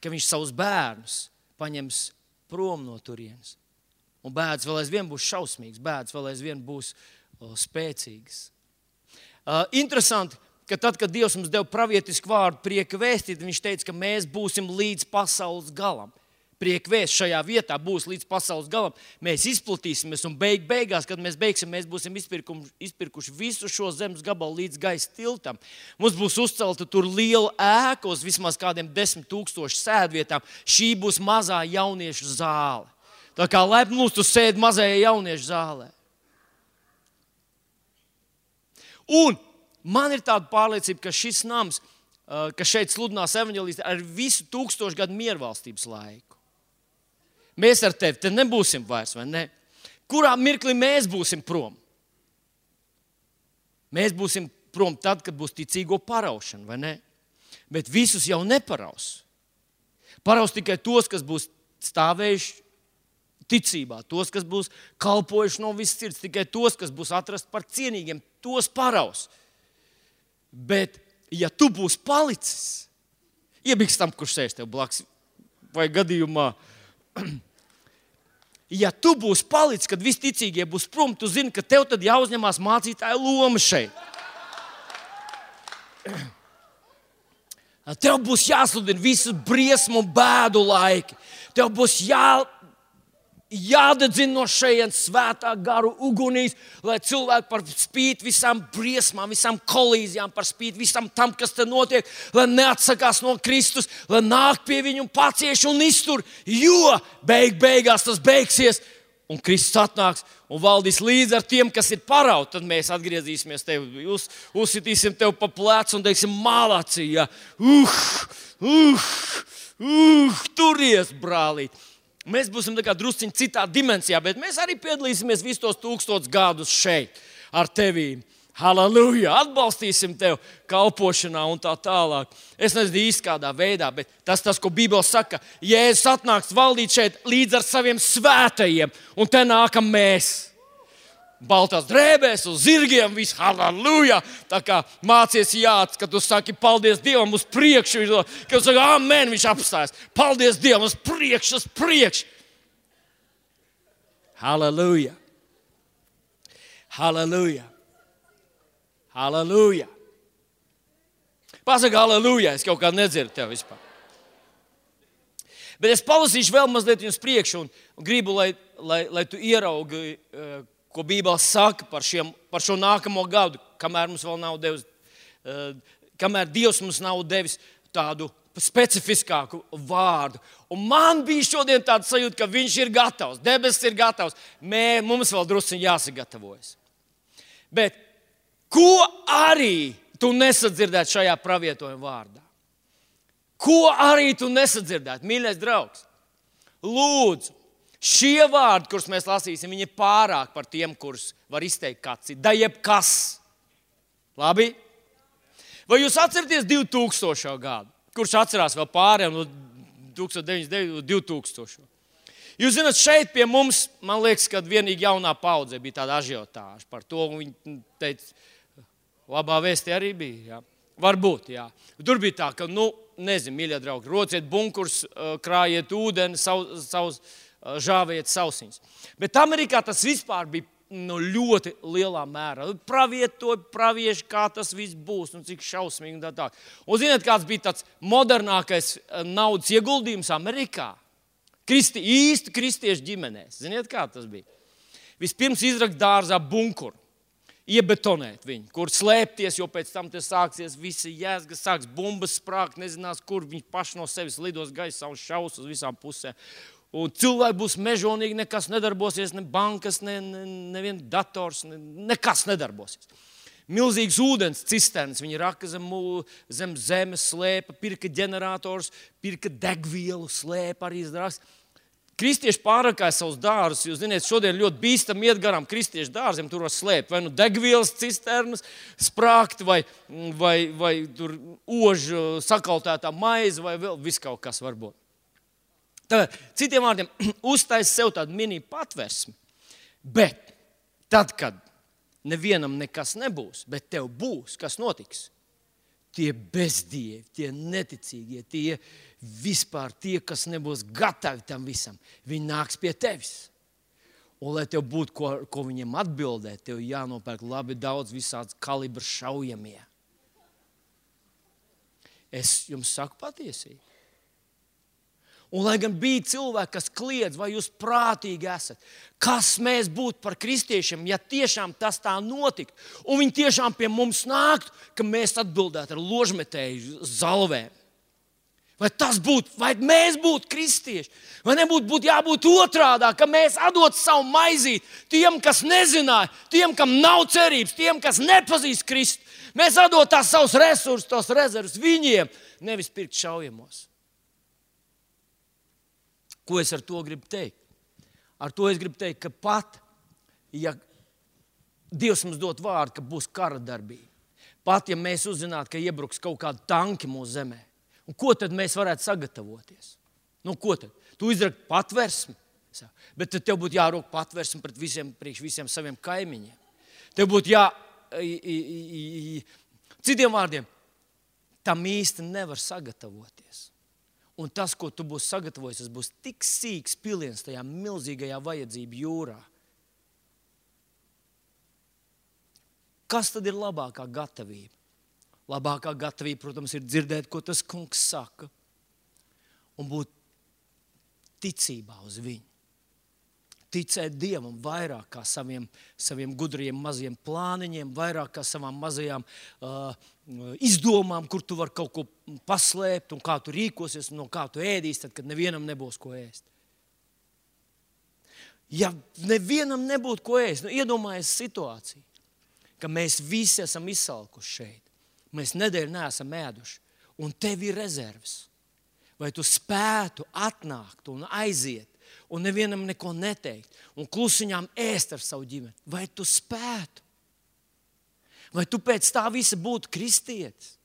ka viņš savus bērnus paņems prom no turienes. Un bēdas vēl aizvien būs šausmīgas, bēdas vēl aizvien būs spēcīgas. Interesanti, ka tad, kad Dievs mums deva pravietisku vārdu prieka vēstīt, viņš teica, ka mēs būsim līdz pasaules galam. Prieka vēsts šajā vietā būs līdz pasaules galam. Mēs izplatīsimies un beigās, kad mēs beigsim, mēs būsim izpirkuši visu šo zemes gabalu līdz gaisa tiltam. Mums būs uzcelta tur liela ēka uz vismaz kādiem 10 000 sēdvietām. Šī būs mazā jauniešu zāle. Tā kā laipni lūdzu, tu sēdi mazajā jauniešu zālē. Un man ir tāda pārliecība, ka šis nams, kas šeit sludinās evaņģēlijas, ar visu 1000 gadu miervalstības laiku. Mēs ar tevi te nebūsim vairs, vai ne? Kurā mirklī mēs būsim prom? Mēs būsim prom tad, kad būs ticīgo paraušana, vai ne? Bet visus jau neparaus. Paraus tikai tos, kas būs stāvējuši ticībā, tos, kas būs kalpojuši no visas sirds, tikai tos, kas būs atrasti par cienīgiem, tos paraus. Bet, ja tu būsi palicis, iebiks tam, kurš sēž tev blakus, vai gadījumā, ja tu būsi palicis, kad visi ticīgie būs prom, tu zini, ka tev tad jāuzņemās mācītāja loma šeit. Tev būs jāsludina visu briesmu un bēdu laiki. Tev būs jādedzina no šejienes svētā garu ugunīs, lai cilvēki par spīti visām briesmām, visām kolīzijām, par spīti visam tam, kas te notiek, lai neatsakās no Kristus, lai nāk pie viņu un pacieš un iztur, jo beigās tas beigsies un Kristus atnāks un valdīs līdz ar tiem, kas ir parauti. Tad mēs atgriezīsimies tevi, uzsitīsim tevi pa plecu un teiksim mālācī, ja, turies, brālīt. Mēs būsim drusciņi citā dimensijā, bet mēs arī piedalīsimies visus tos 1000 gadus šeit ar tevīm. Halleluja! Atbalstīsim tevi kalpošanā un tā tālāk. Es nezinu īsti kādā veidā, bet tas, ko Bībele saka, Jēzus atnāks valdīt šeit līdz ar saviem svētajiem, un te nākam mēs. Baltās drēbēs, uz zirgiem, viss, halleluja! Tā kā mācies jāc, kad tu saki, paldies Dievam uz priekšu, kad tu saki, amen, viņš apstājas. Paldies Dievam uz priekšu. Halleluja! Halleluja! Halleluja! Pasaka halleluja, es kaut kā nedzirdu tev vispār. Bet es palasīšu vēl mazliet uz priekšu un gribu, lai tu ieraugi, ko Bībele saka par šo nākamo gadu, kamēr Dievs mums nav devis tādu specifiskāku vārdu. Un man bija šodien tāda sajūta, ka viņš ir gatavs, debesis ir gatavs. Mums vēl drusciņi jāsagatavojas. Bet ko arī tu nesadzirdētu šajā pravietojuma vārdā? Ko arī tu nesadzirdētu, mīļais draugs? Lūdzu, šie vārdi, kurus mēs lasīsim, viņi ir pārāk par tiem, kurus var izteikt kāds cits. Da jebkas. Labi? Vai jūs atceraties 2000. Gadu? Kurš atcerās vēl pārējiem no 1999. 2000. Jūs zināt, šeit pie mums, man liekas, kad vienīgi jaunā paudze bija tāda ažiotāža par to. Viņi teica, labā vēstī arī bija. Jā. Varbūt, jā. Tur bija tā, ka, nezinu, mīļie draugi, rociet bunkurs, krājiet ūdeni, žāvējiet sausiņas. Bet Amerikā tas vispār bija ļoti lielā mērā. Pravieši, kā tas viss būs un cik šausmīgi un tā. Un ziniet, kāds bija tāds modernākais naudas ieguldījums Amerikā? Īsti kristiešu ģimenēs. Ziniet, kā tas bija? Vispirms izrakt dārzā bunkuru, iebetonēt viņu, kur slēpties, jo pēc tam te sāksies visi jēzgas, sāks bumbas sprākt, nezinās, kur viņi paši no sevis lidos gaisā un šaus uz visām pusēm. Un cilvēki būs mežonīgi, nekas nedarbosies, ne bankas, neviens dators, nekas nedarbosies. Milzīgs ūdens cisternas, viņi raka zem zemes, slēpa, pirka ģenerators, pirka degvielu, slēpa arī izdrās. Kristieši pārrakāja savus dārzus, jūs ziniet, šodien ļoti bīstam iet garām kristiešu dārziem, tur var slēpt vai degvielas cisternas, sprākt, vai tur ožu sakaltētā maize, vai vēl viss kaut kas varbūt. Tad, citiem vārdiem, uztais sev tādu mini patversmi, bet tad, kad nevienam nekas nebūs, bet tev būs, kas notiks? Tie bezdievi, tie neticīgie, tie vispār tie, kas nebūs gatavi tam visam, viņi nāks pie tevis. Un, lai tev būtu, ko viņiem atbildēt, tev jānopērk labi daudz visāds kalibra šaujamie. Es jums saku patiesību. Un, lai gan bija cilvēki, kas kliedz, vai jūs prātīgi esat, kas mēs būtu par kristiešiem, ja tiešām tas tā notiktu, un viņi tiešām pie mums nāktu, ka mēs atbildētu ar ložmetēju zalvēm. Vai tas būtu, vai mēs būtu kristieši, vai nebūtu jābūt otrādā, ka mēs atdot savu maizīt tiem, kas nezināja, tiem, kam nav cerības, tiem, kas nepazīst Kristu. Mēs atdot tās savus resursus, tos rezervus viņiem, nevis pirkt šaujamos. Ko es ar to gribu teikt? Ar to es gribu teikt, ka pat, ja Dievs mums dot vārdu, ka būs kara darbība, pat, ja mēs uzzinātu, ka iebruks kaut kādi tanki mūsu zemē, un ko tad mēs varētu sagatavoties? Ko tad? Tu izrakt patversmi, bet tad tev būtu jārok patversmi priekš visiem saviem kaimiņiem. Tev būtu citiem vārdiem, tam īsti nevar sagatavoties. Un tas, ko tu būsi sagatavojis, tas būs tik sīks piliens tajā milzīgajā vajadzību jūrā. Kas tad ir labākā gatavība? Labākā gatavība, protams, ir dzirdēt, ko tas kungs saka, un būt ticībā uz viņu. ticēt Dievam vairāk kā saviem gudriem maziem plāniņiem, vairāk kā savām mazajām izdomām, kur tu vari kaut ko paslēpt un kā tu rīkosies un no kā tu ēdīsi, tad, kad nevienam nebūs ko ēst. Ja nevienam nebūtu ko ēst, iedomājies situāciju, ka mēs visi esam izsalkuši šeit. Mēs nedēļu neesam ēduši, un tev ir rezerves. Vai tu spētu atnākt un aiziet, un nevienam neko neteikt, un klusiņām ēst ar savu ģimeni? Vai tu spētu? Vai tu pēc tā visa būtu kristietis?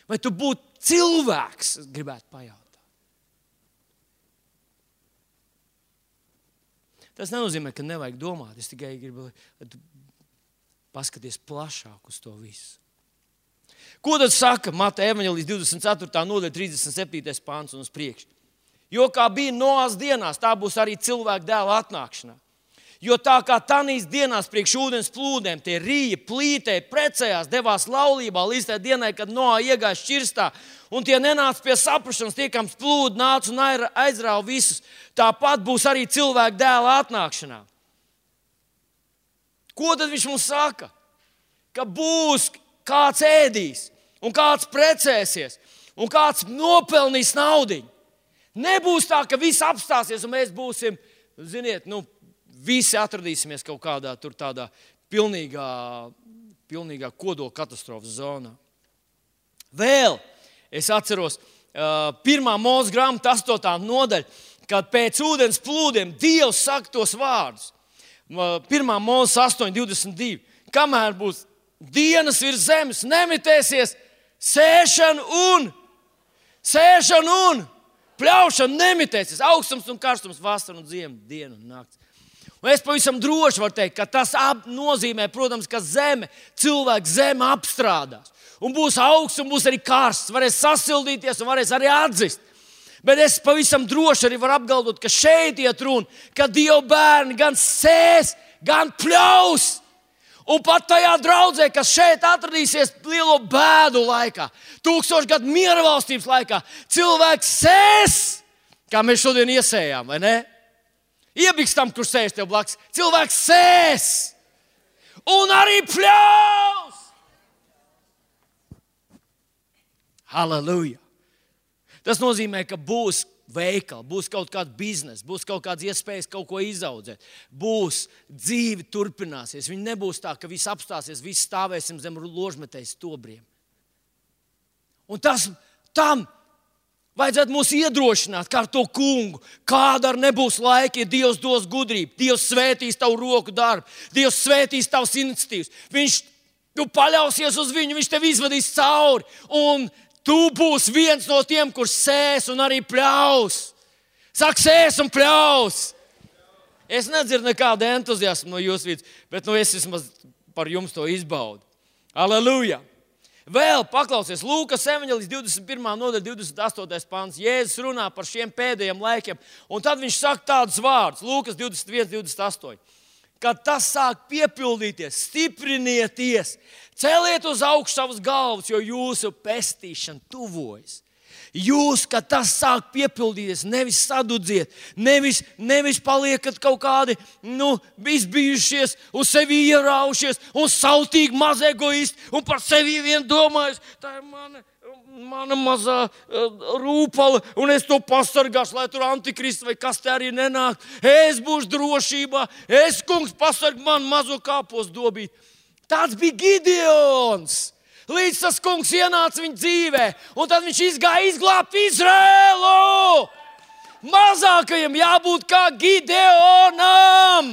Vai tu būtu cilvēks, es gribētu pajautāt? Tas nenozīmē, ka nevajag domāt. Es tikai gribu, lai tu paskaties plašāk uz to visu. Ko tad saka Mateja evaņģēlijas 24. nodaļa 37. pāns un uz priekšu? Jo kā bija Noās dienās, tā būs arī cilvēka dēla atnākšanā. Jo tā kā tanīs dienās priekš ūdens plūdiem, tie rīja, plītēja, precējās, devās laulībā līdz tai dienai, kad Noā iegāja šķirstā, un tie nenāca pie saprašanas, tie, kam plūdi nāca un aizrāva visus. Tāpat būs arī cilvēka dēla atnākšanā. Ko tad viņš mums saka? Ka būs kāds ēdīs, un kāds precēsies, un kāds nopelnīs naudiņu. Nebūs tā, ka viss apstāsies, un mēs būsim, ziniet, visi atradīsimies kaut kādā tur tādā pilnīgā kodola katastrofas zonā. Vēl es atceros 1. Mūzes grāmata 8. nodaļa, kad pēc ūdens plūdiem Dievs saka tos vārdus. 1. Mūzes 8:22. Kamēr būs dienas virs zemes, nemitēsies sēšana un pļaušana nemitēsies. Augstums un karstums, vasara un ziema, diena un nakts. Un es pavisam droši varu teikt, ka tas nozīmē, protams, ka cilvēks zeme apstrādās. Un būs augsts un būs arī karsts. Varēs sasildīties un varēs arī atzist. Bet es pavisam droši arī varu apgalvot, ka šeit iet runa, ka Dieva bērni gan sēs, gan pļaus. Un pat tajā draudzē, kas šeit atradīsies lielo bēdu laikā, 1000 gadu miera valstības laikā, cilvēks sēs, kā mēs šodien iesējām, vai ne? Iebikstam, kurš sēž tev blakus. Cilvēks sēs un arī pļaus. Halleluja! Tas nozīmē, ka būs veikali, būs kaut kāds bizness, būs kaut kādas iespējas kaut ko izaudzēt, būs dzīve turpināsies. Viņi nebūs tā, ka viss apstāsies, viss stāvēsim zem ložmetējas stobriem. Un tam vajadzētu mūs iedrošināt, kā ar to kungu. Kāda arī nebūs laika, ja Dievs dos gudrību, Dievs svētīs tavu roku darbu, Dievs svētīs tavas iniciatīvas. Tu paļausies uz viņu, viņš tev izvadīs cauri. Un tu būsi viens no tiem, kurš sēs un arī pļaus. Saka, sēs un pļaus. Es nedzirdu nekādu entuziasmu no jūsu vidus, bet es vismaz par jums to izbaudu. Aleluja! Vēl paklausies Lūkas evaņģēlijas 21. nodaļa 28. pants. Jēzus runā par šiem pēdējiem laikiem, un tad viņš saka tādus vārdus. Lūkas 21:28. Kad tas sāk piepildīties, stiprinieties, celiet uz augšu savus galvas, jo jūsu pestīšana tuvojas. Jūs, kad tas sāk piepildīties, nevis sadudziet, nevis paliekat kaut kādi izbijušies, uz sevi ieraušies un sautīgi maz egoisti un par sevi vien domājis, tā ir mana mazā rūpala, un es to pasargāšu, lai tur antikrists vai kas te arī nenāk. Es būšu drošībā, es, kungs, pasarg man mazo kāpos dobīt. Tāds bija Gideons. Līdz tas kungs ienāca viņa dzīvē, un tad viņš izgāja izglābt Izraēlu. Mazākajam jābūt kā Gideonam.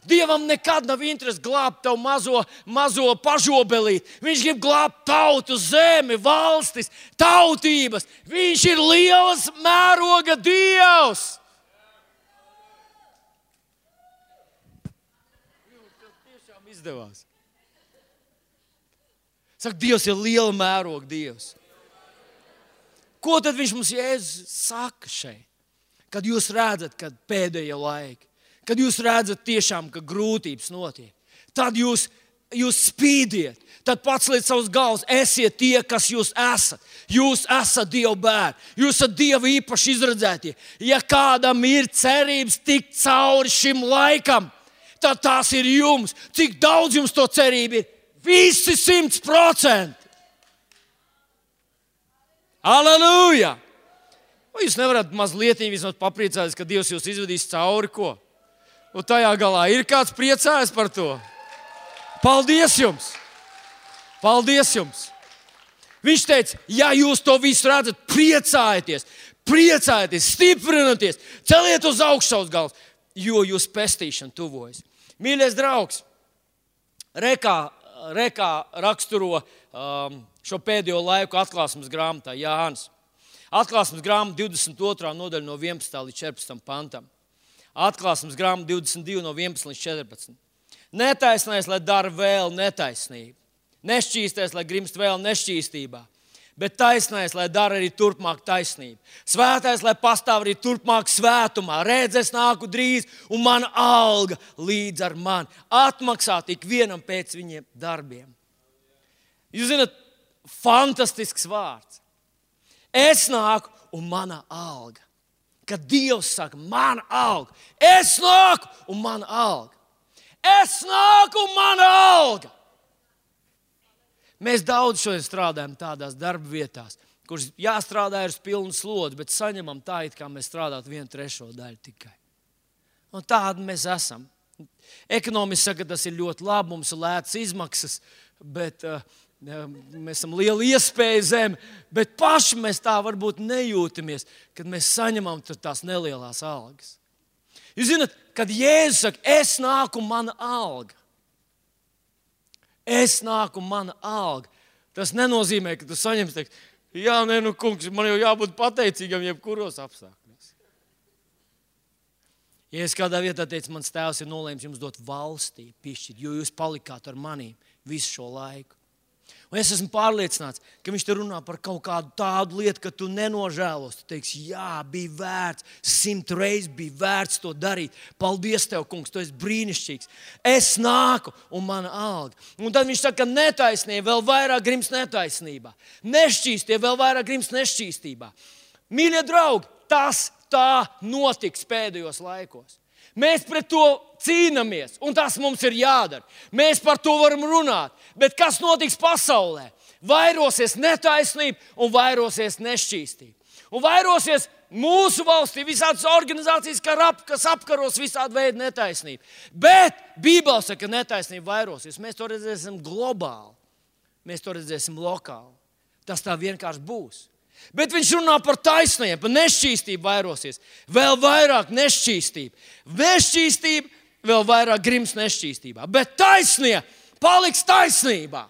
Dievam nekad nav interesi glābt tavu mazo pažobelīti. Viņš grib glābt tautu, zemi, valstis, tautības. Viņš ir lielas mēroga Dievs. Tas tiešām izdevās. Saka, Dievs ir liela mēroga Dievs. Ko tad viņš mums Jēzus saka šeit? Kad jūs redzat, kad pēdējie laiki, kad jūs redzat tiešām, ka grūtības notiek, tad jūs jūs spīdiet, tad paceliet savus galvas, esiet tie, kas jūs esat. Jūs esat Dieva bērni, jūs esat Dieva īpaši izredzētie. Ja kādam ir cerības tikt cauri šim laikam, tad tās ir jums. Cik daudz jums to cerība ir? Visi 100%. Aleluja! Vai jūs nevarat mazliet vismaz papriecāties, ka Dievs jūs izvedīs cauri ko? Un tajā galā ir kāds priecājas par to? Paldies jums! Paldies jums! Viņš teica, ja jūs to visu redzat, priecājieties, stiprinieties, celiet uz augšu savus galvas, jo jūs pestīšana tuvojas. Mīļais draugs, Rekā raksturo šo pēdējo laiku atklāsmes grāmatā Jānis. Atklāsmes grāmata 22. nodaļa no 11. līdz 14. pantam. Atklāsmes grāmata 22 no 11 līdz 14. Netaisnais, lai dara vēl netaisnību. Nešķīstais, lai grimst vēl nešķīstībā. Bet taisnais, lai dara arī turpmāk taisnību. Svētais, lai pastāv arī turpmāk svētumā. Redz, es nāku drīz, un mana alga līdz ar mani. Atmaksāt ik vienam pēc viņiem darbiem. Jūs zināt, fantastisks vārds. Es nāku, un mana alga. Kad Dievs saka, mana alga. Es nāku, un mana alga. Es nāku, un mana alga. Mēs daudz šodien strādājam tādās darba vietās, kuras jāstrādā ar pilnu slodzi, bet saņemam tā, it kā mēs strādātu 1/3 daļu tikai. Un tādi mēs esam. Ekonomiski saka, tas ir ļoti labi, mums ir lētas izmaksas, bet mēs esam liela iespēja zem, bet paši mēs tā varbūt nejūtamies, kad mēs saņemam tās nelielās algas. Jūs zināt, kad Jēzus saka, es nāku, mana alga. Es nāku, mana alga. Tas nenozīmē, ka tu saņemsi, teiks, jā, nē, nu, kungs, man jau jābūt pateicīgam jebkuros apstākļos. Ja es kādā vietā teicu, mans tēvs ir nolēmis jums dot valstī, piešķirt, jo jūs palikāt ar manīm visu šo laiku. Un es esmu pārliecināts, ka viņš te runā par kaut kādu tādu lietu, ka tu nenožēlos. Tu teiksi, jā, bija vērts, 100 reizes bija vērts to darīt. Paldies tev, kungs, tu esi brīnišķīgs. Es nāku, un mana alga. Un tad viņš saka, ka netaisnība vēl vairāk grimst netaisnībā. Nešķīstie vēl vairāk grimst nešķīstībā. Mīļie draugi, tas tā notiks pēdējos laikos. Mēs pret to cīnāmies, un tas mums ir jādara. Mēs par to varam runāt. Bet kas notiks pasaulē? Vairosies netaisnība un vairosies nešķīstība. Un vairosies mūsu valstī visādas organizācijas, kas apkaros visādu veidu netaisnību. Bet Bībele saka, ka netaisnība vairosies. Mēs to redzēsim globāli. Mēs to redzēsim lokāli. Tas tā vienkārši būs. Bet viņš runā par taisnību, par nešķīstību vairosies. Vēl vairāk nešķīstība. Nešķīstība vēl vairāk grims nešķīstībā. Bet taisnība paliks taisnībā.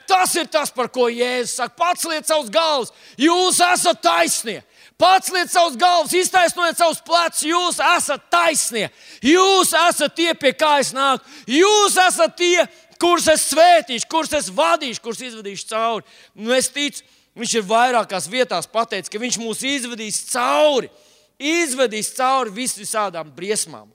Tas ir tas, par ko Jēzus saka. Paceliet savus galvas, jūs esat taisnie. Paceliet savus galvas, iztaisnojiet savus plecus, jūs esat taisnie. Jūs esat tie, pie kā es nāku. Jūs esat tie, kurus es svētīšu, kurus es vadīšu, kurus izvadīšu cauri. Un es ticu, viņš ir vairākās vietās pateicis, ka viņš mūs izvedīs cauri visādām briesmām.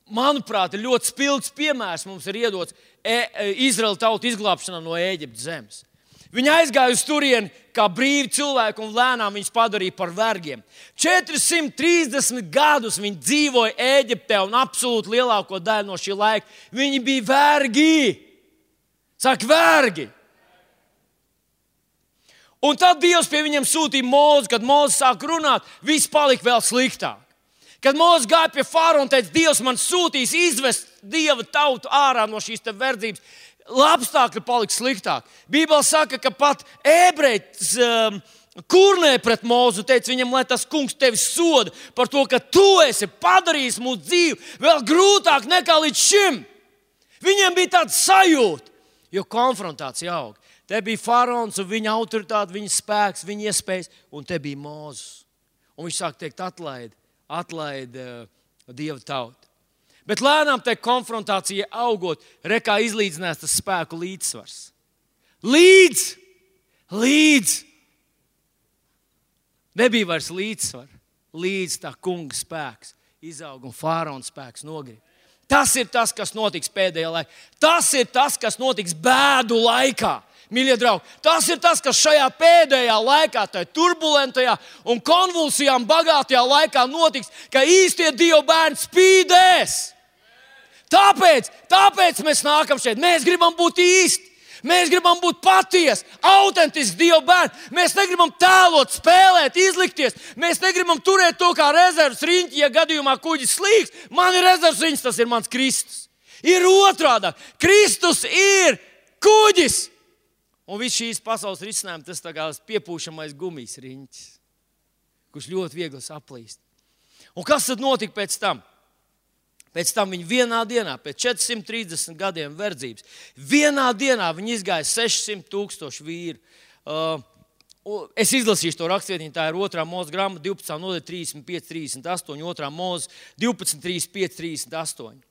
Manuprāt, ir ļoti spilgts piemērs mums ir iedots Izraēla tautu izglābšanā no Ēģiptes zemes. Viņi aizgāja uz turieni kā brīvi cilvēki un lēnām viņus padarīja par vergiem. 430 gadus viņi dzīvoja Ēģiptē un absolūti lielāko daļu no šī laika. Viņi bija vergi. Saka, vergi. Un tad Dievs pie viņiem sūtīja Mūzu, kad Mūzes sāk runāt, viss palika vēl sliktāk. Kad Mūzes gāja pie faraona un teica, Dievs man sūtīs izvest Dieva tautu ārā no šīs te verdzības, apstākļi palika sliktāk. Bībele saka, ka pat ebreji kurnēja pret Mūzu un teica viņam, lai tas kungs tevi soda par to, ka tu esi padarījis mūsu dzīvi vēl grūtāk nekā līdz šim. Viņiem bija tāds sajūta, jo konfrontācija aug. Te bija faraons un viņa autoritāte, viņa spēks, viņa iespējas, un te bija Mūzes. Un viņš sāk teikt, atlaid Dieva tautu. Bet lēnām tai konfrontācija augot, rekā izlīdzinās tas spēku līdzsvars. Līdz. Nebija vairs līdzsvar. Līdz tā kunga spēks izaug un faraona spēks nogrib. Tas ir tas, kas notiks pēdējā laikā. Tas ir tas, kas notiks bēdu laikā. Mīļie draugi, tas ir tas, kas šajā pēdējā laikā, tajā turbulentajā un konvulsijām bagātajā laikā notiks, ka īstie Dieva bērni spīdēs. Tāpēc mēs nākam šeit. Mēs gribam būt īsti. Mēs gribam būt patiesi, autentiski Dieva bērni. Mēs negribam tēlot, spēlēt, izlikties. Mēs negribam turēt to kā rezerves riņķi, ja gadījumā kuģis slīgs. Man ir rezerves riņķis, tas ir mans Kristus. Ir otrādi. Kristus ir kuģis. Un viss šīs pasaules risinājums, tas tā kā piepūšamais gumijas riņķis, kurš ļoti viegli saplīst. Un kas tad notika pēc tam? Pēc tam viņi vienā dienā, pēc 430 gadiem verdzības, vienā dienā viņi izgāja 600,000 vīru. Es izlasīšu to rakstvietiņu, tā ir 2. Mūzes grāmata 12. nodaļa 35, 38, 2. Mūzes 12, 35, 38.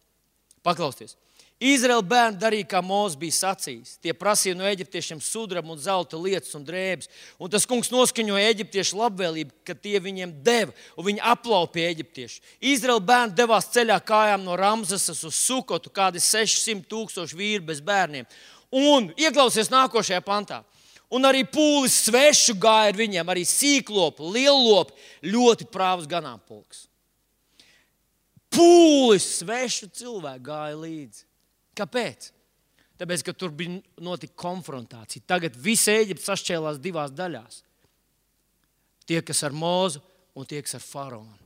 Paklausieties. Izraēla bērni darīja, kā Mūzes bija sacījis. Tie prasīja no eģiptiešiem sudraba un zelta lietas un drēbes. Un tas kungs noskaņoja eģiptiešu labvēlību, ka tie viņiem deva, un viņi aplaupīja eģiptiešu. Izraēla bērni devās ceļā kājām no Ramzesas uz Sukotu, kādi 600,000 vīri bez bērniem. Un ieklausies nākošajā pantā. Un arī pūlis svešu gāja ar viņiem, arī sīklopi, liellopi, ļoti prāvs ganāmpulks. Pūlis svešu cilvēku gāja līdzi. Kāpēc? Tāpēc, ka tur bija notika konfrontācija. Tagad visa Ēģipte sašķēlās divās daļās. Tie, kas ar Mūzu un tie, kas ar faraonu.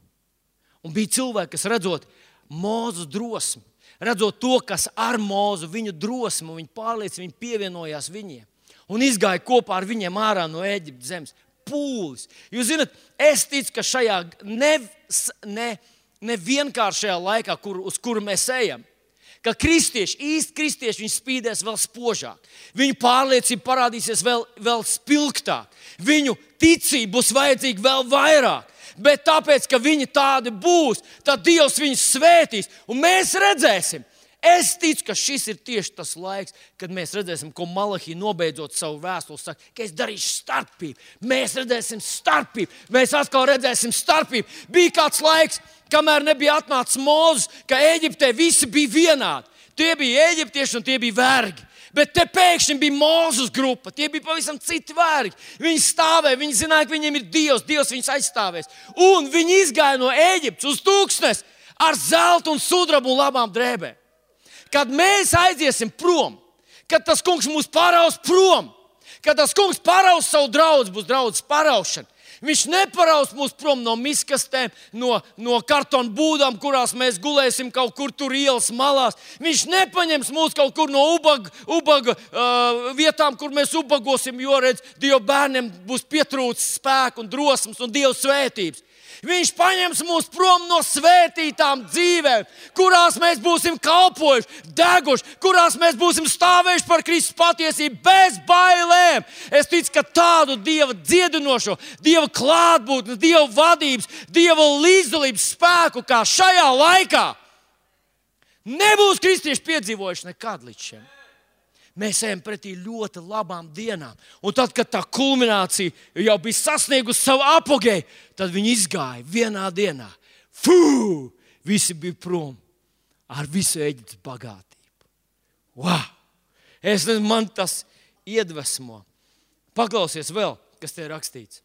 Un bija cilvēki, kas redzot Mūzes drosmi, redzot to, kas ar Mūzu, viņu drosmi, viņu pārliecību, viņi pievienojās viņiem. Un izgāja kopā ar viņiem ārā no Ēģiptes zemes. Pūlis. Jūs zināt, es ticu, ka šajā nevienkāršajā laikā, uz kuru mēs ejam, ka kristieši, īsti kristieši, viņi spīdēs vēl spožāk. Viņu pārliecība parādīsies vēl spilgtāk. Viņu ticība būs vajadzīga vēl vairāk. Bet tāpēc, ka viņi tādi būs, tad Dievs viņus svētīs. Un mēs redzēsim. Es ticu, ka šis ir tieši tas laiks, kad mēs redzēsim, ko Malahija nobeidzot savu vēstuli saka, ka es darīšu starpību. Mēs redzēsim starpību. Mēs atkal redzēsim starpību. Bija kāds laiks, kamēr nebija atnācis Mūzes, ka Ēģiptē visi bija vienādi. Tie bija eģiptieši un tie bija vergi. Bet te pēkšņi bija Mūzes grupa. Tie bija pavisam citi vergi. Viņi stāvēja, viņi zināja, ka viņiem ir Dievs. Dievs viņus aizstāvēs. Un viņi izgāja no Ēģiptes uz tūkstnes ar zeltu un sudrabu un labām drēbēm. Kad mēs aiziesim prom, kad tas kungs mūs paraus prom, kad tas kungs paraus savu draudzi, būs draudzes paraušana. Viņš neparaus mūs prom no miskastēm, no kartona būdām, kurās mēs gulēsim kaut kur tur ielas malās. Viņš nepaņems mūs kaut kur no ubaga vietām, kur mēs ubagosim, jo redz, Dieva bērniem būs pietrūcis spēku un drosmes un Dieva svētības. Viņš paņems mūs prom no svētītām dzīvēm, kurās mēs būsim kalpojuši, deguši, kurās mēs būsim stāvējuši par Kristus patiesību bez bailēm. Es ticu, ka tādu Dieva dziedinošo, Dieva klātbūtni, Dieva vadības, Dieva līdzdalības spēku kā šajā laikā nebūs kristieši piedzīvojuši nekad līdz šim. Mēs ejam pretī ļoti labām dienām. Un tad, kad tā kulminācija jau bija sasniegusi savu apogēju, tad viņi izgāja vienā dienā. Visi bija prom ar visu Ēģiptes bagātību. Wow! Man tas iedvesmo. Paklausies vēl, kas te ir rakstīts.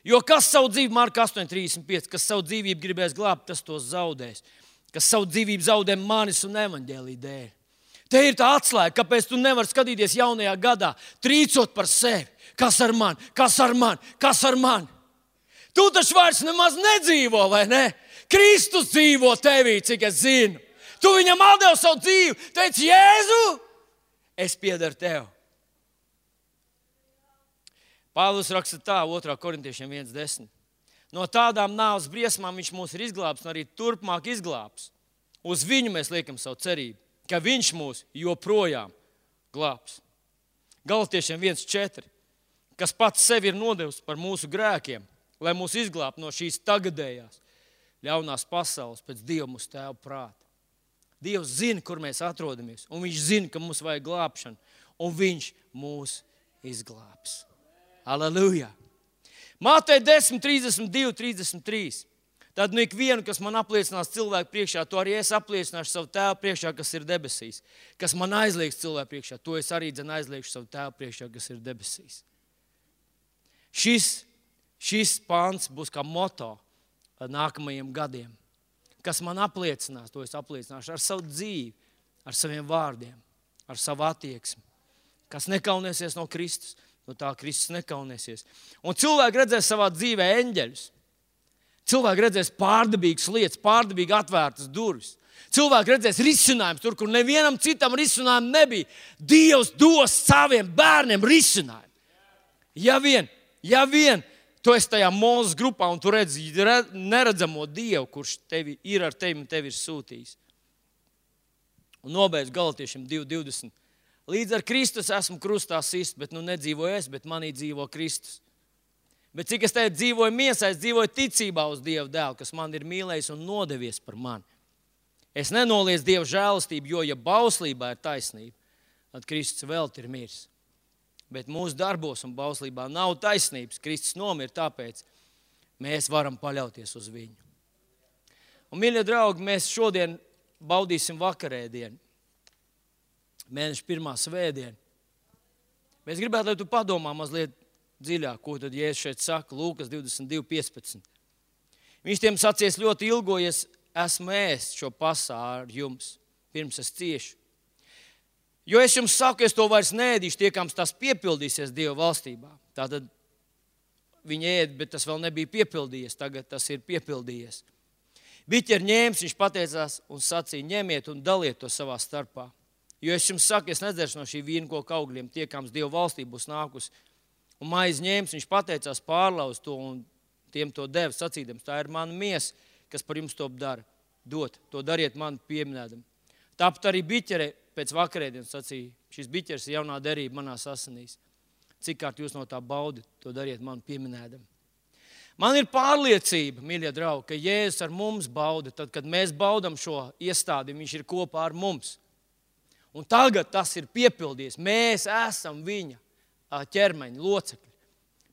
Jo kas savu dzīvību, Marka 8:35, kas savu dzīvību gribēs glābt, tas tos zaudēs. Kas savu dzīvību zaudē manis un evaņģēlija dēļ. Te ir tā atslēga, kāpēc tu nevari skatīties jaunajā gadā, trīcot par sevi. Kas ar mani? Kas ar mani? Kas ar mani? Tu taču vairs nemaz nedzīvo, vai ne? Kristus dzīvo tevī, cik es zinu. Tu viņam atdevi savu dzīvi. Teici, Jēzu, es piederu tev. Pāvils raksta tā, 2. Korintiešiem 1:10. No tādām nāves briesmām viņš mūs ir izglābs un arī turpmāk izglābs. Uz viņu mēs liekam savu cerību, ka viņš mūs joprojām glābs. Galatiešiem 1:4, kas pats sevi ir nodevis par mūsu grēkiem, lai mūs izglābtu no šīs tagadējās ļaunās pasaules pēc Dieva mūsu tēva prāta. Dievs zina, kur mēs atrodamies, un viņš zina, ka mums vajag glābšanu, un viņš mūs izglābs. Aleluja! Mateja 10:32, 33. Tad ikvienu, kas man apliecinās cilvēku priekšā, to arī es apliecināšu savu Tēvu priekšā, kas ir debesīs. Kas man aizliegs cilvēku priekšā, to es arī aizliegšu savu Tēvu priekšā, kas ir debesīs. Šis pāns būs kā moto nākamajiem gadiem. Kas man apliecinās, to es apliecināšu ar savu dzīvi, ar saviem vārdiem, ar savu attieksmi. Kas nekaunēsies no Kristus, no tā Kristus nekaunēsies. Un cilvēki redzēs savā dzīvē eņģeļus. Cilvēki redzēs pārdabīgas lietas, pārdabīgi atvērtas durvis. Cilvēki redzēs risinājumus tur, kur nevienam citam risinājumu nebija. Dievs dos saviem bērniem risinājumu. Ja vien tu esi tajā Mūzes grupā un tu redzi neredzamo Dievu, kurš tevi ir ar tevi un tevi ir sūtījis. Un nobeidz Galatiešiem 2:20. Līdz ar Kristus esmu krustā sists, bet nedzīvoju es, bet manī dzīvo Kristus. Bet cik es tagad dzīvoju miesā, es dzīvoju ticībā uz Dieva dēlu, kas man ir mīlējis un nodevies par mani. Es nenoliedzu Dieva žēlastību, jo, ja bauslībā ir taisnība, tad Kristus velti ir miris. Bet mūsu darbos un bauslībā nav taisnības. Kristus nomira, tāpēc mēs varam paļauties uz viņu. Un, mīļie draugi, mēs šodien baudīsim vakarēdienu. Mēneša 1. svētdienu. Mēs gribētu, lai tu padomā mazliet dziļāk, ko tad Jēzus šeit saka, Lūkas 22:15. Viņš tiem sacīs ļoti ilgojies, esmu ēst šo pasā ar jums, pirms es ciešu. Jo es jums saku, es to vairs neēdīšu, tiekams tas piepildīsies Dieva valstībā. Tātad viņi ēd, bet tas vēl nebija piepildījies, tagad tas ir piepildījies. Biķeri ņēmis, viņš pateicās un sacīja, ņemiet un daliet to savā starpā. Jo es jums saku, es nedzeršu no šī vīnkoka augļiem, tiekams Dieva valstība būs nākusi. Un maizi ņēmis, viņš pateicās, pārlauz to un tiem to deva, sacīdams, tā ir mana miesa, kas par jums to dara. Dot, to dariet man pieminēdam. Tāpat arī biķere pēc vakarēdienas sacīja, šis biķers ir jaunā derība manās asinīs. Cik kārt jūs no tā baudat, to dariet man pieminēdam. Man ir pārliecība, mīļie draugi, ka Jēzus ar mums bauda, tad, kad mēs baudam šo iestādi, viņš ir kopā ar mums. Un tagad tas ir piepildījies. Mēs esam viņa ķermeņa locekļi.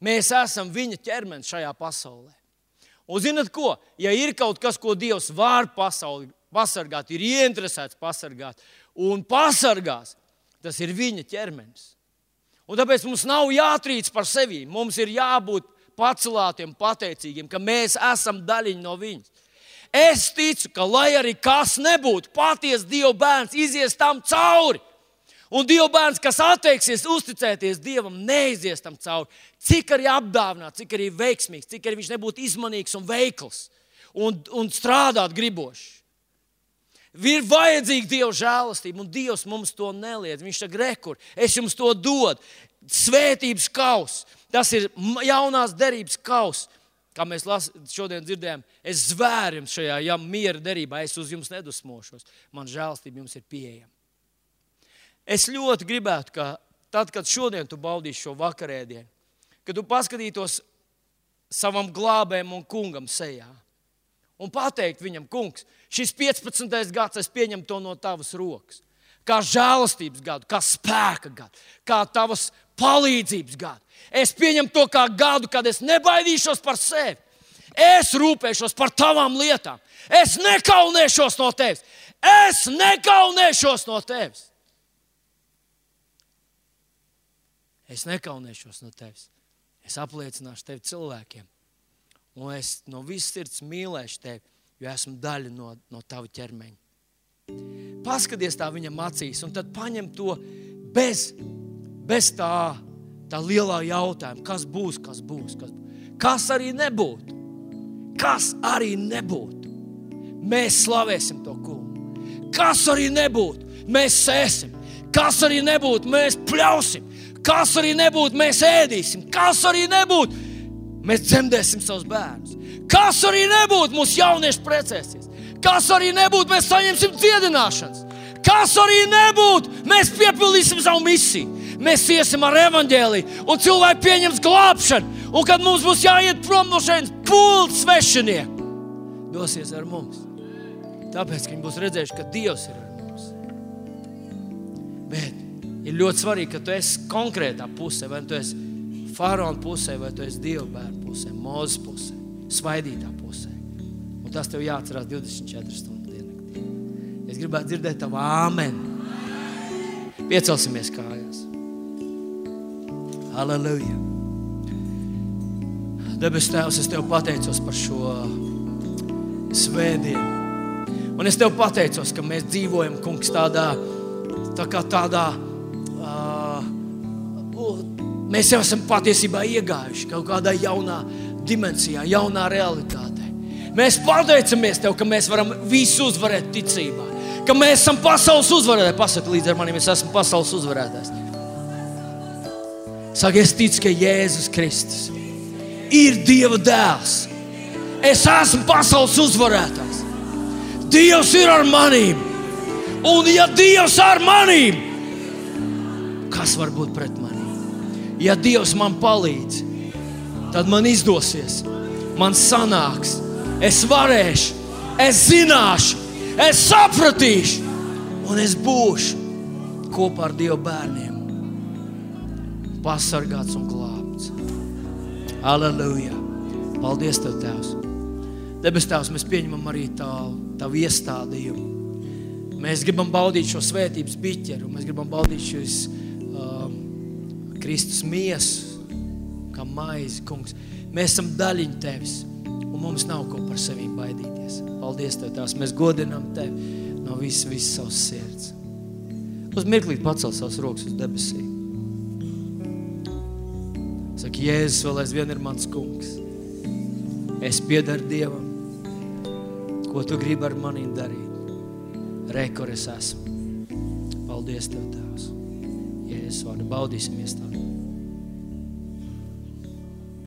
Mēs esam viņa ķermenis šajā pasaulē. Un zināt ko? Ja ir kaut kas, ko Dievs var pasauli pasargāt, ir ieinteresēts pasargāt un pasargās, tas ir viņa ķermenis. Un tāpēc mums nav jātrīc par sevi. Mums ir jābūt pacelātiem, pateicīgiem, ka mēs esam daļiņi no viņas. Es ticu, ka lai arī kas nebūtu, patiesi Dieva bērns izies tam cauri. Un Dieva bērns, kas atteiksies uzticēties Dievam, neizies tam cauri. Cik arī apdāvināts, cik arī veiksmīgs, cik arī viņš nebūtu izmanīgs un veikls un strādāt gribošs. Ir vajadzīga Dieva žēlastība, un Dievs mums to neliedz. Viņš saka, rekur, es jums to dodu. Svētības kaus, tas ir jaunās derības kaus. Kā mēs šodien dzirdējām, es zvēru jums šajā miera derībā, es uz jums nedusmošos. Man žēlastība jums ir pieejama. Es ļoti gribētu, ka tad, kad šodien tu baudīsi šo vakarēdienu, kad tu paskatītos savam glābējam un kungam sejā un pateikt viņam, kungs, šis 15. gads, es pieņemu to no tavas rokas. Kā žēlastības gadu, kā spēka gadu, kā tavas palīdzības gadu. Es pieņemu to kā gadu, kad es nebaidīšos par sevi. Es rūpēšos par tavām lietām. Es nekaunēšos no tevis. Es nekaunēšos no tevis. Es nekaunēšos no tevis. Es apliecināšu tevi cilvēkiem. Un es no visas sirds mīlēšu tevi, jo esmu daļa no tava ķermeņa. Paskaties tā viņam acīs un tad paņem to bez tā lielā jautājuma. Kas būs, kas būs, kas būs. Kas arī nebūtu. Kas arī nebūtu. Mēs slavēsim to kungu. Kas arī nebūtu. Mēs sēsim. Kas arī nebūtu. Mēs pļausim. Kas arī nebūtu. Mēs ēdīsim. Kas arī nebūtu. Mēs dzemdēsim savus bērnus. Kas arī nebūtu. Mūsu jaunieši precēsies. Kas arī nebūtu. Mēs saņemsim dziedināšanas. Kas arī nebūtu. Mēs piepildīsim savu misiju. Mēs iesim ar evaņģēliju un cilvēki pieņems glābšanu. Un kad mums būs jāiet prom no šeit, pults svešinieki dosies ar mums. Tāpēc, ka viņi būs redzējuši, ka Dievs ir ar mums. Bet ir ļoti svarīgi, ka tu esi konkrētā pusē, vai tu esi faraona pusē, vai tu esi Dieva bērnu pusē, Mūzes pusē, svaidītā pusē. Un tas tev jāatcerās 24 stundu diennaktī. Es gribētu dzirdēt tavu āmen. Piecelsimies kājās. Halleluja. Debes Tēvs, es Tev pateicos par šo svētdienu. Un es Tev pateicos, ka mēs dzīvojam, kungs, tādā mēs jau esam patiesībā iegājuši kaut kādā jaunā dimensijā, jaunā realitātē. Mēs pateicamies Tev, ka mēs varam visu uzvarēt ticībā. Ka mēs esam pasaules uzvarētāji. Pasaka līdz ar manim, es esmu pasaules uzvarētājs. Saka, es ticu, ka Jēzus Kristus ir Dieva dēls. Es esmu pasaules uzvarētājs. Dievs ir ar manīm. Un ja Dievs ar manīm, kas var būt pret manīm? Ja Dievs man palīdz, tad man izdosies, man sanāks, es varēšu, es zināšu, es sapratīšu un es būšu kopā ar Dieva bērniem pasargāts un glābts. Halleluja! Paldies Tev, Tēvs! Debes Tēvs, mēs pieņemam arī Tavu iestādījumu. Mēs gribam baudīt šo svētības biķeru, mēs gribam baudīt šīs Kristus miesu, kā maizi, kungs. Mēs esam daļiņi Tevis, un mums nav ko par sevīm baidīties. Paldies Tev, Tēvs, mēs godinām Tevi no visas savas sirds. Uz mirklīt pacel savas rokas uz debesīm. Saka, Jēzus vēl aizvien ir mans kungs. Es piedaru Dievam, ko Tu gribi ar manīm darīt. Re, kur es esmu. Paldies Tev, Tēvs. Jēzus vārdu baudīsimies Tavu.